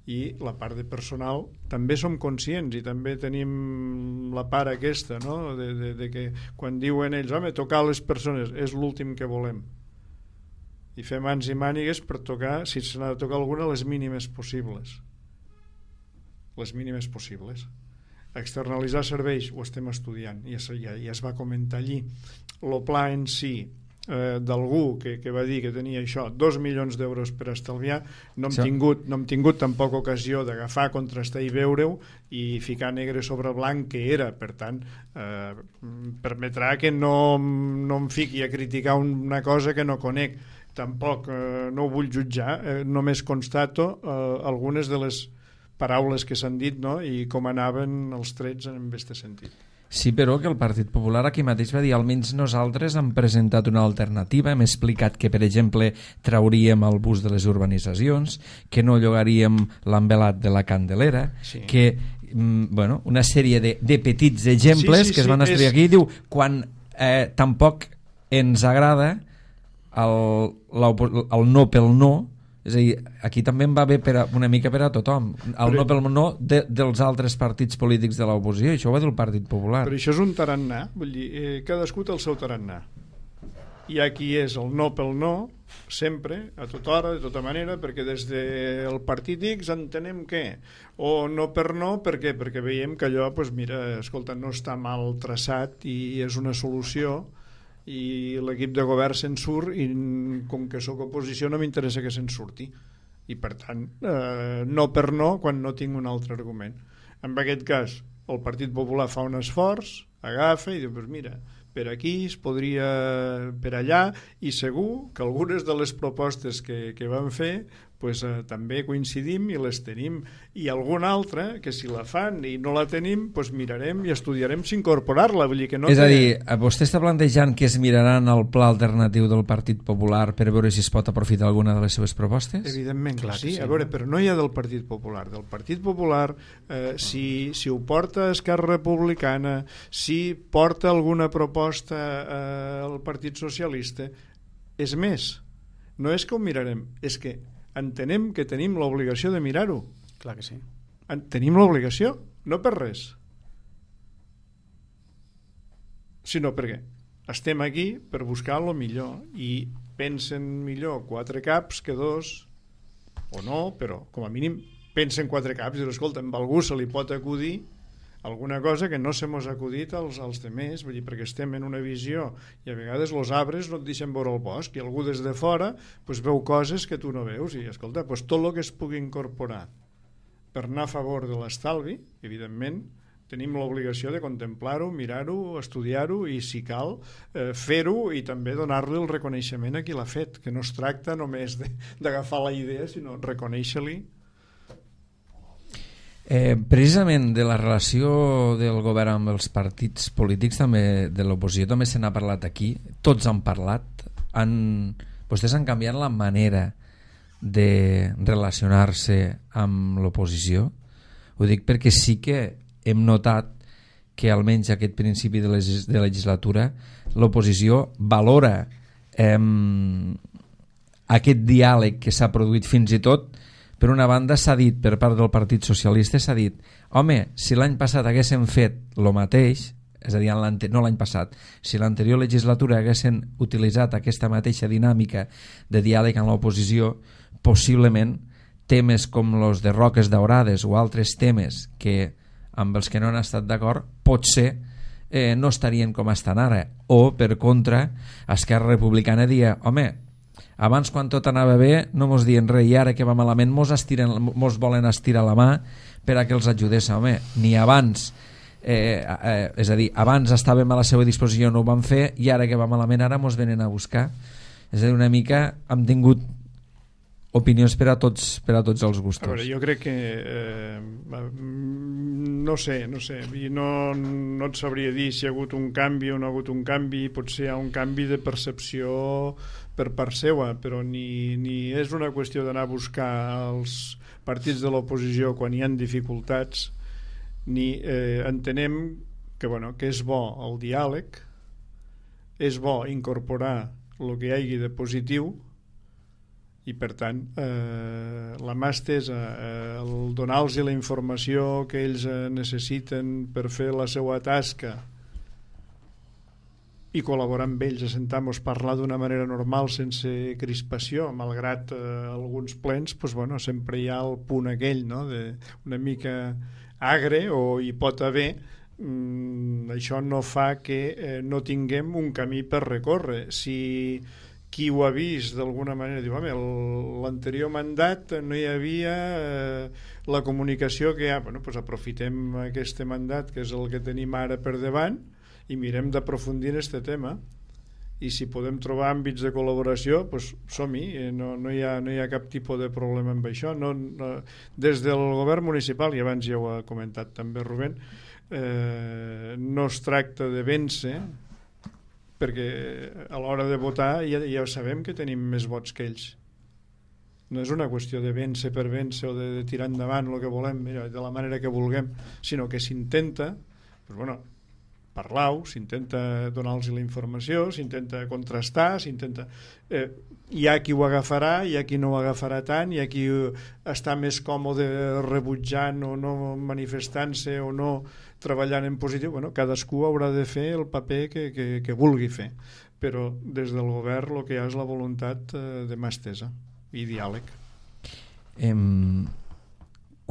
i la part de personal també som conscients i també tenim la part aquesta, no? de que quan diuen ells, home, tocar les persones és l'últim que volem i fer mans i mànigues per tocar, si se n'ha de tocar alguna, les mínimes possibles. Externalitzar serveis ho estem estudiant, ja es va comentar allí. El pla en si d'algú que va dir que tenia això, 2 milions d'euros per estalviar, no hem tingut tampoc ocasió d'agafar, contrastar i veure-ho i ficar negre sobre blanc que era. Per tant, permetrà que no em fiqui a criticar una cosa que no conec. Tampoc no ho vull jutjar, només constato algunes de les paraules que s'han dit, no? I com anaven els trets en aquest sentit. Sí, però que el Partit Popular aquí mateix va dir almenys nosaltres hem presentat una alternativa, hem explicat que, per exemple, trauríem el bus de les urbanitzacions, que no llogaríem l'envelat de la Candelera, que, bueno, una sèrie de petits exemples que es van estudiar aquí. Diu, quan tampoc ens agrada el no pel no, és a dir, aquí també en va bé una mica per a tothom, el no pel no dels altres partits polítics de l'oposició, això ho va dir el Partit Popular. Però això és un tarannà, vull dir, cadascú té el seu tarannà. Hi ha qui és el no pel no, sempre, a tota hora, de tota manera, perquè des del partit X entenem què, o no per no, per què? Perquè veiem que allò, doncs mira, escolta, no està mal traçat i és una solució, i l'equip de govern se'n surt i com que sóc oposició no m'interessa que se'n surti i per tant no per no quan no tinc un altre argument. En aquest cas el Partit Popular fa un esforç, agafa i diu, pues mira, per aquí es podria, per allà, i segur que algunes de les propostes que van fer pues, també coincidim i les tenim, i alguna altra que si la fan i no la tenim pues mirarem i estudiarem si incorporar-la, vull dir que no. És a dir, vostè està plantejant que es miraran el pla alternatiu del Partit Popular per veure si es pot aprofitar alguna de les seves propostes? Evidentment, clar, sí. A veure, però no hi ha del Partit Popular. Del Partit Popular, si ho porta Esquerra Republicana, si porta alguna proposta al Partit Socialista, és més, no és que ho mirarem, és que entenem que tenim l'obligació de mirar-ho. Clar que sí. Tenim l'obligació, no per res, sinó perquè estem aquí per buscar el millor i pensen millor 4 caps que 2 o no, però com a mínim pensen 4 caps i escolta, amb algú se li pot acudir alguna cosa que no se mos ha acudit als demés, vull dir, perquè estem en una visió i a vegades els arbres no et deixen veure el bosc i algú des de fora pues, veu coses que tu no veus i escolta, pues, tot el que es pugui incorporar per anar a favor de l'estalvi, evidentment tenim l'obligació de contemplar-ho, mirar-ho, estudiar-ho i si cal fer-ho i també donar-li el reconeixement a qui l'ha fet, que no es tracta només d'agafar la idea sinó reconèixer-li. Precisament de la relació del govern amb els partits polítics també de l'oposició també se n'ha parlat aquí, tots han parlat, vostès han canviat la manera de relacionar-se amb l'oposició. Ho dic perquè sí que hem notat que almenys aquest principi de legislatura l'oposició valora aquest diàleg que s'ha produït fins i tot. Per una banda s'ha dit per part del Partit Socialista, s'ha dit, home, si l'any passat haguéssim fet el mateix, és a dir, no l'any passat, si l'anterior legislatura haguessin utilitzat aquesta mateixa dinàmica de diàleg amb l'oposició, possiblement temes com els de Roques Daurades o altres temes que amb els que no han estat d'acord, potser no estarien com estan ara. O, per contra, Esquerra Republicana dia, home, Abans, quan tot anava bé, no mos dien res, i ara que va malament mos volen estirar la mà per a que els ajudés. Home, ni abans, és a dir, abans estàvem a la seva disposició, no ho vam fer, i ara que va malament ara mos venen a buscar. És a dir, una mica hem tingut opinions per a tots els gustos. A veure, jo crec que no sé, i no et sabria dir si hi ha hagut un canvi o no ha hagut un canvi. Potser hi ha un canvi de percepció per part seva, però ni és una qüestió d'anar a buscar els partits de l'oposició quan hi ha dificultats, ni entenem que és bo el diàleg, és bo incorporar el que hi hagi de positiu, i per tant la mà estesa, el donar-los la informació que ells necessiten per fer la seva tasca i col·laborar amb ells, assentar-nos, parlar d'una manera normal sense crispació, malgrat alguns plens, sempre hi ha el punt aquell, no? Una mica agre, o hi pot haver. Això no fa que no tinguem un camí per recórrer. Si qui ho ha vist d'alguna manera diu, home, l'anterior mandat no hi havia la comunicació que hi ha, aprofitem aquest mandat, que és el que tenim ara per davant, i mirem d'aprofundir en aquest tema, i si podem trobar àmbits de col·laboració, som-hi, no hi ha cap tipus de problema amb això. Des del govern municipal, i abans ja ho ha comentat també Rubén, no es tracta de vèncer, perquè a l'hora de votar ja sabem que tenim més vots que ells. No és una qüestió de vèncer per vèncer o de tirar endavant el que volem, de la manera que vulguem, sinó que s'intenta parlar-ho, s'intenta donar-los la informació, s'intenta contrastar, hi ha qui ho agafarà, hi ha qui no ho agafarà tant, hi ha qui està més còmode rebutjant o no manifestant-se o no treballant en positiu. Cadascú haurà de fer el paper que vulgui fer, però des del govern el que hi ha és la voluntat de mà estesa i diàleg.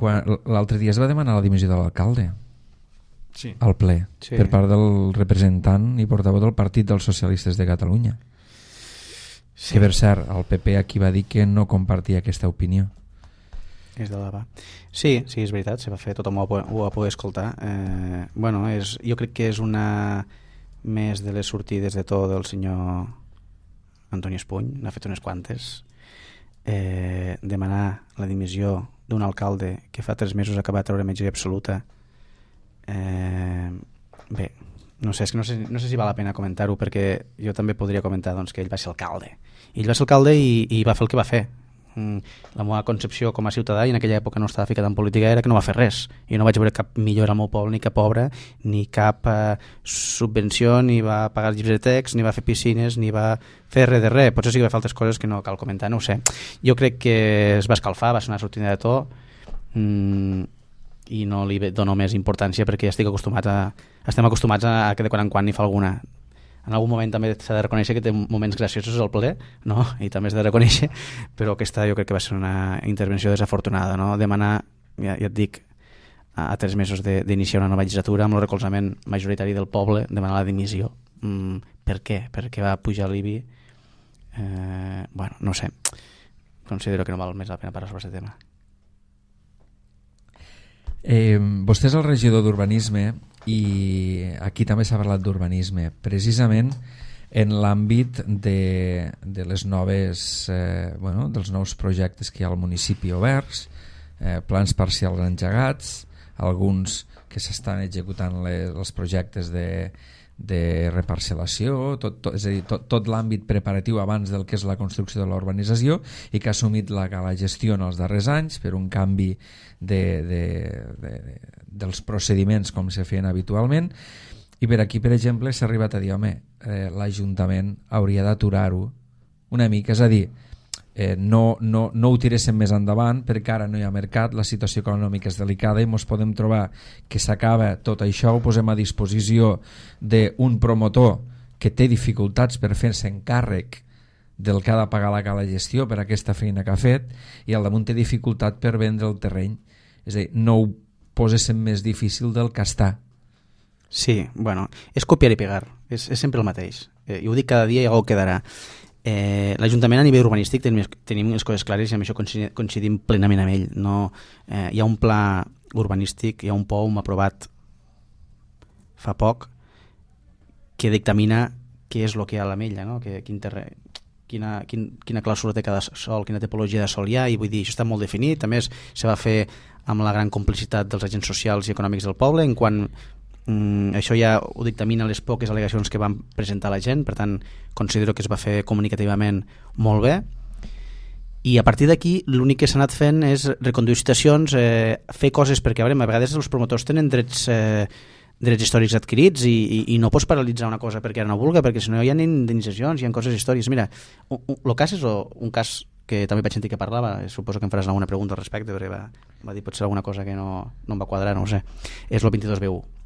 L'altre dia es va demanar la dimissió de l'alcalde. Sí. Al ple, sí. Per part del representant i portaveu del Partit dels Socialistes de Catalunya. Sí. Que per cert, el PP aquí va dir que no compartia aquesta opinió. És de debà. Sí, és veritat, se va fer, tothom ho va poder escoltar. Jo crec que és una més de les sortides de to del senyor Antoni Espuny, n'ha fet unes quantes. Demanar la dimissió d'un alcalde que fa 3 mesos acaba de treure majoria absoluta. Bé, no sé si val la pena comentar-ho, perquè jo també podria comentar que ell va ser alcalde. Ell va ser alcalde i va fer el que va fer. La meva concepció com a ciutadà, i en aquella època no estava ficat en política, era que no va fer res. Jo no vaig veure cap millora al meu poble, ni cap obra, ni cap subvenció, ni va pagar llibres de text, ni va fer piscines, ni va fer res de res. Potser sí que va fer altres coses que no cal comentar, no ho sé. Jo crec que es va escalfar, va ser una sortida de to, i no li dono més importància perquè ja estem acostumats a que de quan en quan n'hi fa alguna. En algun moment també s'ha de reconèixer que té moments graciosos al ple, no? I també s'ha de reconèixer, però aquesta jo crec que va ser una intervenció desafortunada, no? Demanar, ja et dic, a 3 mesos d'iniciar una nova legislatura amb el recolzament majoritari del poble, demanar la dimissió. Per què? Perquè va pujar l'IBI? No sé, considero que no val més la pena parlar sobre aquest tema. Vostè és el regidor d'Urbanisme i aquí també s'ha parlat d'urbanisme, precisament en l'àmbit de les noves dels nous projectes que hi ha al municipi oberts, plans parcials engegats, alguns que s'estan executant els projectes de reparcel·lació, és a dir, tot l'àmbit preparatiu abans del que és la construcció de la urbanització, i que ha assumit la gestió en els darrers anys per un canvi dels procediments com se feien habitualment. I per aquí, per exemple, s'ha arribat a dir, l'Ajuntament hauria d'aturar-ho una mica, és a dir, no ho tiréssim més endavant perquè ara no hi ha mercat, la situació econòmica és delicada i ens podem trobar que s'acaba tot això, ho posem a disposició d'un promotor que té dificultats per fer-se encàrrec del que ha de pagar la gestió per aquesta feina que ha fet, i al damunt té dificultat per vendre el terreny. És a dir, no ho poséssim més difícil del que està. Sí, és copiar i pegar, és sempre el mateix. I ho dic cada dia i algú quedarà. l'Ajuntament a nivell urbanístic tenim les coses clares i amb això coincidim plenament amb ell. Hi ha un pla urbanístic, hi ha un POUM aprovat fa poc que dictamina què és el que hi ha a l'Ametlla, no? Quina clàusula té cada sòl, quina tipologia de sòl hi ha, i vull dir, això està molt definit. A més, se va fer amb la gran complicitat dels agents socials i econòmics del poble, en quan això ja ho dictamina les poques al·legacions que van presentar la gent. Per tant, considero que es va fer comunicativament molt bé, i a partir d'aquí l'únic que s'ha anat fent és reconduir situacions, fer coses, perquè a vegades els promotors tenen drets històrics adquirits i no pots paralitzar una cosa perquè ara no vulgui, perquè si no hi ha indemnitzacions, hi ha coses històriques. Mira, el cas és un cas que també vaig sentir que parlava, suposo que em faràs alguna pregunta al respecte, perquè va dir potser alguna cosa que no em va quadrar, no ho sé. És el 22B1.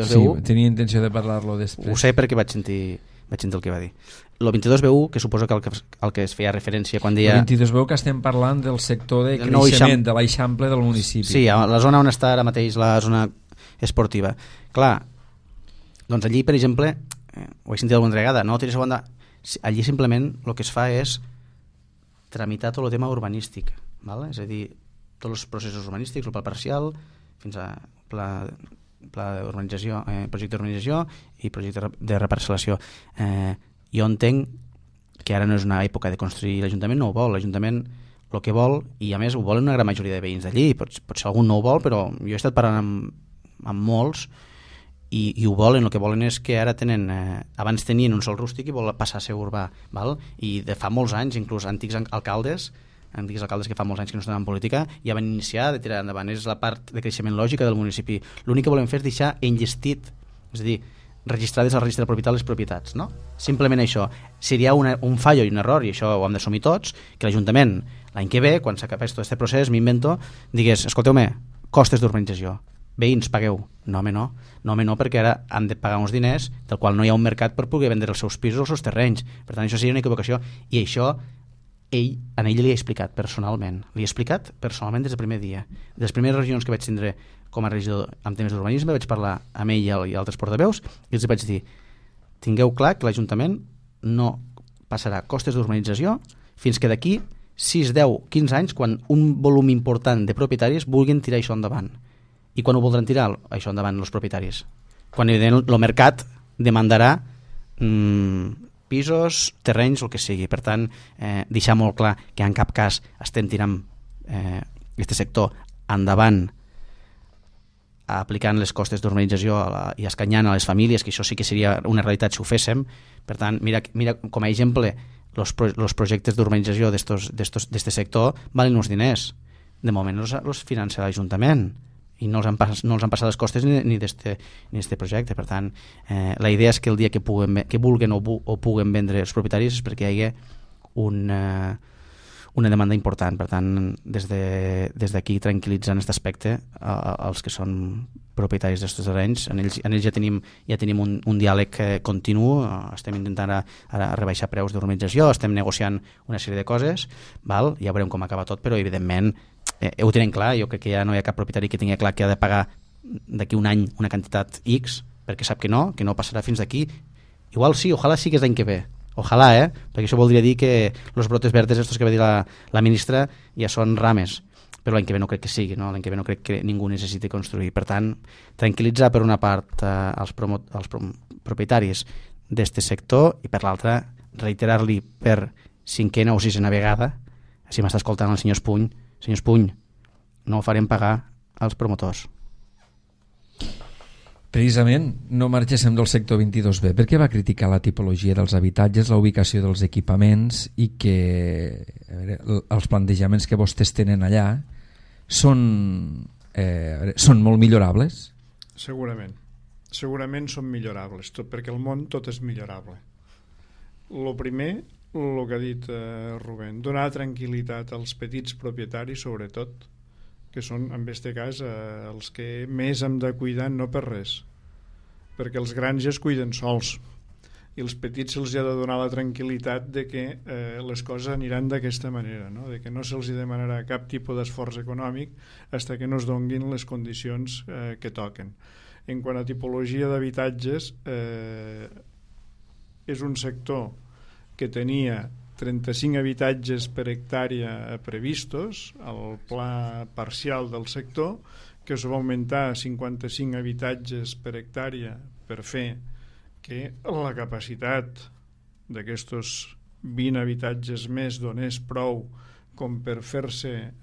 Sí, tenia intenció de parlar-lo després. Ho sé perquè vaig sentir el que va dir. El 22B1, que suposo que el que es feia referència quan deia... El 22B1 que estem parlant del sector de creixement, de l'Eixample del municipi. Sí, la zona on està ara mateix la zona esportiva. Clar, doncs allí, per exemple, ho he sentit alguna vegada, no tires a banda... Allí simplement el que es fa és tramitar tot el tema urbanístic, ¿vale? És a dir, tots els processos urbanístics, el pla parcial, fins a pla d'urbanització, projecte d'urbanització i projecte de reparcel·lació. Jo entenc que ara no és una època de construir, l'Ajuntament no ho vol, l'Ajuntament el que vol, i a més ho volen una gran majoria de veïns d'allí, potser algun no ho vol, però jo he estat parlant amb molts i ho volen. El que volen és que ara tenen, abans tenien un sol rústic i volen passar a ser urbà, val? I de fa molts anys, inclús antics alcaldes que fa molts anys que no estan en política ja van iniciar de tirar endavant. És la part de creixement lògica del municipi. L'únic que volem fer és deixar enllestit, és a dir, registrades al registre de propietat les propietats, no? Simplement això. Seria un fallo i un error, i això ho hem d'assumir tots, que l'Ajuntament l'any que ve, quan s'acabés tot aquest procés, m'invento, digués, escolteu-me, costes d'urbanització, veïns, pagueu. No, perquè ara han de pagar uns diners del qual no hi ha un mercat per poder vendre els seus pisos o els seus terrenys. Per tant, això seria una equivocació, i això a ell li he explicat personalment. Li he explicat personalment des del primer dia. De les primeres reunions que vaig tindre com a regidor amb temes d'urbanisme, vaig parlar amb ell i altres portaveus i els vaig dir, tingueu clar que l'Ajuntament no passarà costes d'urbanització fins que d'aquí 6, 10, 15 anys, quan un volum important de propietaris vulguin tirar això endavant. I quan ho voldran tirar això endavant els propietaris? Quan evidentment el mercat demandarà pisos, terrenys, el que sigui. Per tant, deixar molt clar que en cap cas estem tirant aquest sector endavant aplicant les costes d'urbanització i escanyant a les famílies, que això sí que seria una realitat si ho féssim. Per tant, mira com a exemple, els projectes d'urbanització d'este sector valen uns diners. De moment els finança l'Ajuntament i no els han passat les costes ni d'este projecte. Per tant, la idea és que el dia que vulguen o puguen vendre els propietaris és perquè hi hagi una demanda important. Per tant, des d'aquí tranquil·litzant aquest aspecte als que són propietaris d'aquests terrenys. En ells ja tenim un diàleg continu, estem intentant ara rebaixar preus d'urbanització, estem negociant una sèrie de coses, val? Ja veurem com acaba tot, però evidentment ho tenen clar. Jo crec que ja no hi ha cap propietari que tingui clar que ha de pagar d'aquí un any una quantitat X, perquè sap que no passarà fins d'aquí. Igual sí, ojalà sí que és l'any que ve, ojalà, perquè això voldria dir que els brotes verdes estos que va dir la ministra ja són rames, però l'any que ve no crec que sigui, no? L'any que ve no crec que ningú necessiti construir. Per tant, tranquil·litzar per una part els propietaris d'este sector i per l'altra reiterar-li per 5a o 6a vegada, si m'està escoltant el senyor Espuny, no ho farem pagar als promotors. Precisament, no marxéssim del sector 22B. Per què va criticar la tipologia dels habitatges, la ubicació dels equipaments i que els plantejaments que vostès tenen allà són molt millorables? Segurament són millorables, perquè el món tot és millorable. El primer, el que ha dit Rubén, donar tranquil·litat als petits propietaris, sobretot, que són, en aquest cas, els que més hem de cuidar, no per res, perquè els grans ja es cuiden sols, i els petits se'ls ha de donar la tranquil·litat de que les coses aniran d'aquesta manera, no? De que no se'ls demanarà cap tipus d'esforç econòmic fins que no es donguin les condicions que toquen. En quant a tipologia d'habitatges, és un sector que tenia 35 habitatges per hectàrea previstos al pla parcial del sector, que es va augmentar a 55 habitatges per hectàrea per fer que la capacitat d'aquests 20 habitatges més donés prou com per fer-se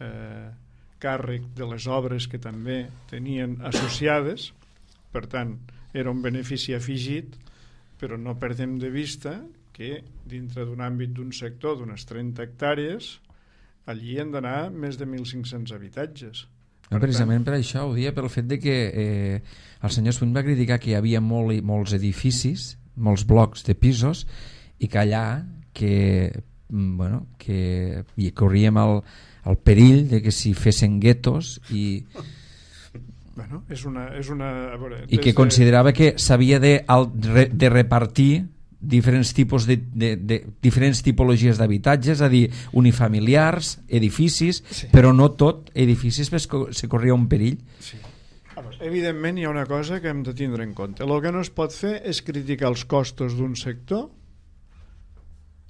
càrrec de les obres que també tenien associades. Per tant, era un benefici afegit, però no perdem de vista que dintre d'un àmbit d'un sector d'unes 30 hectàrees allí han d'anar més de 1.500 habitatges. Precisament per això ho dia, pel fet de que el senyor Swing va criticar que hi havia molts edificis, molts blocs de pisos, i que allà que corríem el perill de que s'hi fessin guetos i que considerava que s'havia de repartir diferents tipus diferents tipologies d'habitatges, a dir, unifamiliars, edificis, sí. Però no tot edificis se corria un perill. Sí. Evidentment hi ha una cosa que hem de tindre en compte. El que no es pot fer és criticar els costos d'un sector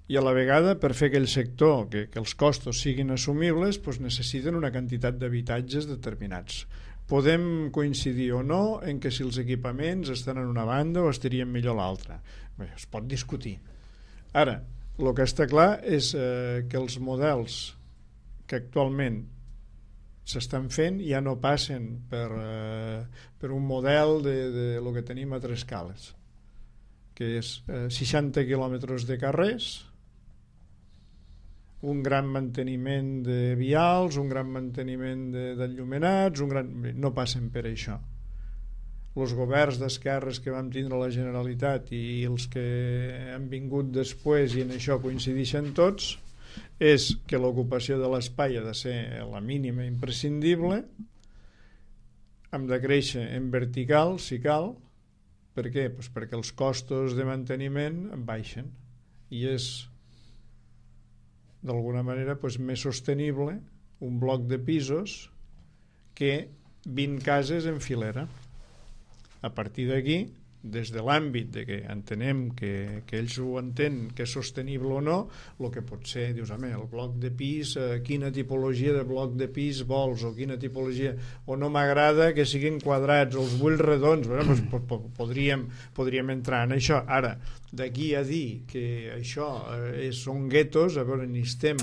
i a la vegada, per fer aquell sector que els costos siguin assumibles, doncs necessiten una quantitat d'habitatges determinats. Podem coincidir o no en que si els equipaments estan en una banda o estarien millor a l'altra. Bé, es pot discutir. Ara, el que està clar és que els models que actualment s'estan fent ja no passen per un model de lo que tenim a Trescales, que és 60 quilòmetres de carrers, un gran manteniment de vials, un gran manteniment d'enllumenats, no passen per això. Els governs d'esquerres que vam tindre la Generalitat i els que han vingut després, i en això coincideixen tots, és que l'ocupació de l'espai ha de ser la mínima imprescindible, hem de créixer en vertical si cal. Per què? Pues perquè els costos de manteniment baixen i és d'alguna manera més sostenible un bloc de pisos que 20 cases en filera. A partir d'aquí, des de l'àmbit de que entenem que ells ho entenen, que és sostenible o no, el que pot ser, dius, el bloc de pis, quina tipologia de bloc de pis vols, o quina tipologia, o no m'agrada que siguin quadrats, o els vull redons, podríem entrar en això. Ara, d'aquí a dir que això són guetos, a veure, ni estem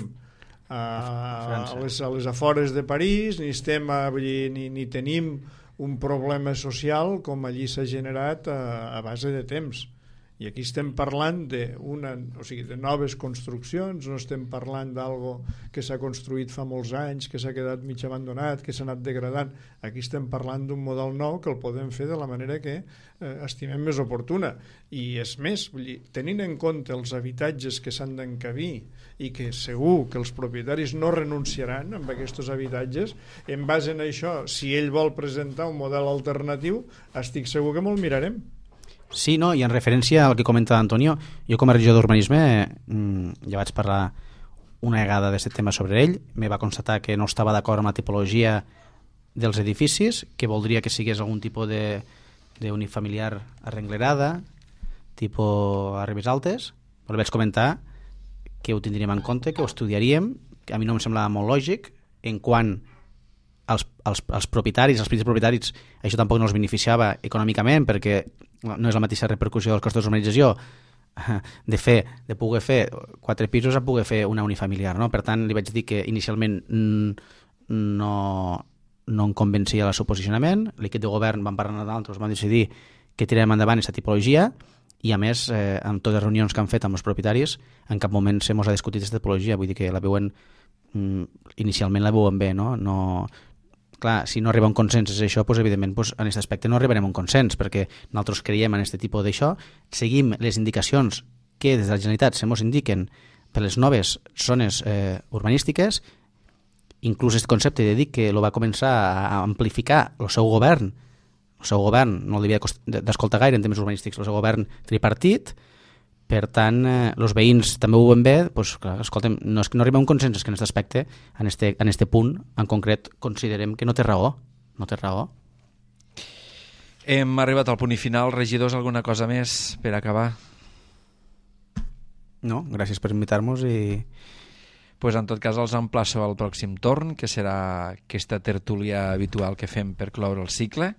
a les afores de París, ni tenim un problema social com allí s'ha generat a base de temps. I aquí estem parlant de noves construccions, no estem parlant d'algo que s'ha construït fa molts anys, que s'ha quedat mig abandonat, que s'ha anat degradant. Aquí estem parlant d'un model nou que el podem fer de la manera que estimem més oportuna. I és més, tenint en compte els habitatges que s'han d'encabir i que segur que els propietaris no renunciaran amb aquests habitatges, en base a això, si ell vol presentar un model alternatiu, estic segur que me'l mirarem. Sí, no, i en referència al que comenta Antonio, jo com a regidor d'urbanisme ja vaig parlar una vegada d'aquest tema sobre ell, me va constatar que no estava d'acord amb la tipologia dels edificis, que voldria que sigués algun tipus d'unifamiliar arrenglerada, tipus a Ribes Altes, però vaig comentar que ho tindríem en compte, que ho estudiaríem, que a mi no em semblava molt lògic, en quant als propietaris, als petits propietaris, això tampoc no els beneficiava econòmicament, perquè no és la mateixa repercussió dels costos d'urbanització de poder fer 4 pisos a poder fer una unifamiliar, no? Per tant, li vaig dir que inicialment no em convencia el seu posicionament. L'equip de govern van parlar d'altres, van decidir que tirarem endavant aquesta tipologia i, a més, amb totes les reunions que han fet amb els propietaris, en cap moment se mos ha discutit aquesta tipologia, vull dir que la veuen inicialment la veuen bé, no? Clar, si no arriba un consens és això, doncs, evidentment en aquest aspecte no arribarem a un consens, perquè nosaltres creiem en aquest tipus d'això, seguim les indicacions que des de la Generalitat se mos indiquen per les noves zones urbanístiques, inclús aquest concepte de dir que lo va començar a amplificar el seu govern no l'havia d'escoltar gaire en temes urbanístics, el seu govern tripartit. Per tant, els veïns també ho veuen bé, doncs, clar, escolta'm, no és que no arriba a un consens, és que en aquest aspecte, en este punt, en concret, considerem que no té raó. Hem arribat al punt i final. Regidors, alguna cosa més per acabar? No, gràcies per invitar-nos i... Pues en tot cas els emplaço al pròxim torn, que serà aquesta tertúlia habitual que fem per cloure el cicle,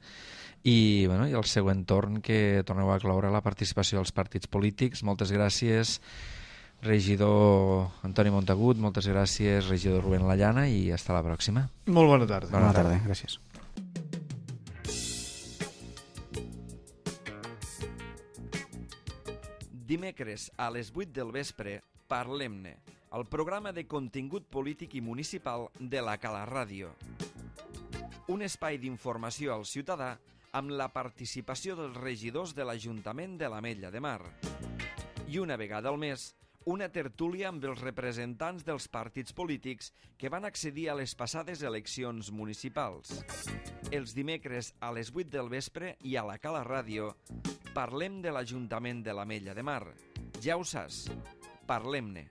i el següent torn que torneu a cloure la participació dels partits polítics. Moltes gràcies, regidor Antoni Montagut, moltes gràcies, regidor Rubén Lallana, i hasta la pròxima. Molt bona tarda. Bona tarda, gràcies. Dimecres a les 8 del vespre, Parlem-ne, el programa de contingut polític i municipal de la Cala Ràdio. Un espai d'informació al ciutadà amb la participació dels regidors de l'Ajuntament de l'Ametlla de Mar. I una vegada al mes, una tertúlia amb els representants dels partits polítics que van accedir a les passades eleccions municipals. Els dimecres a les 8 del vespre i a la Cala Ràdio parlem de l'Ajuntament de l'Ametlla de Mar. Ja ho saps, parlem-ne.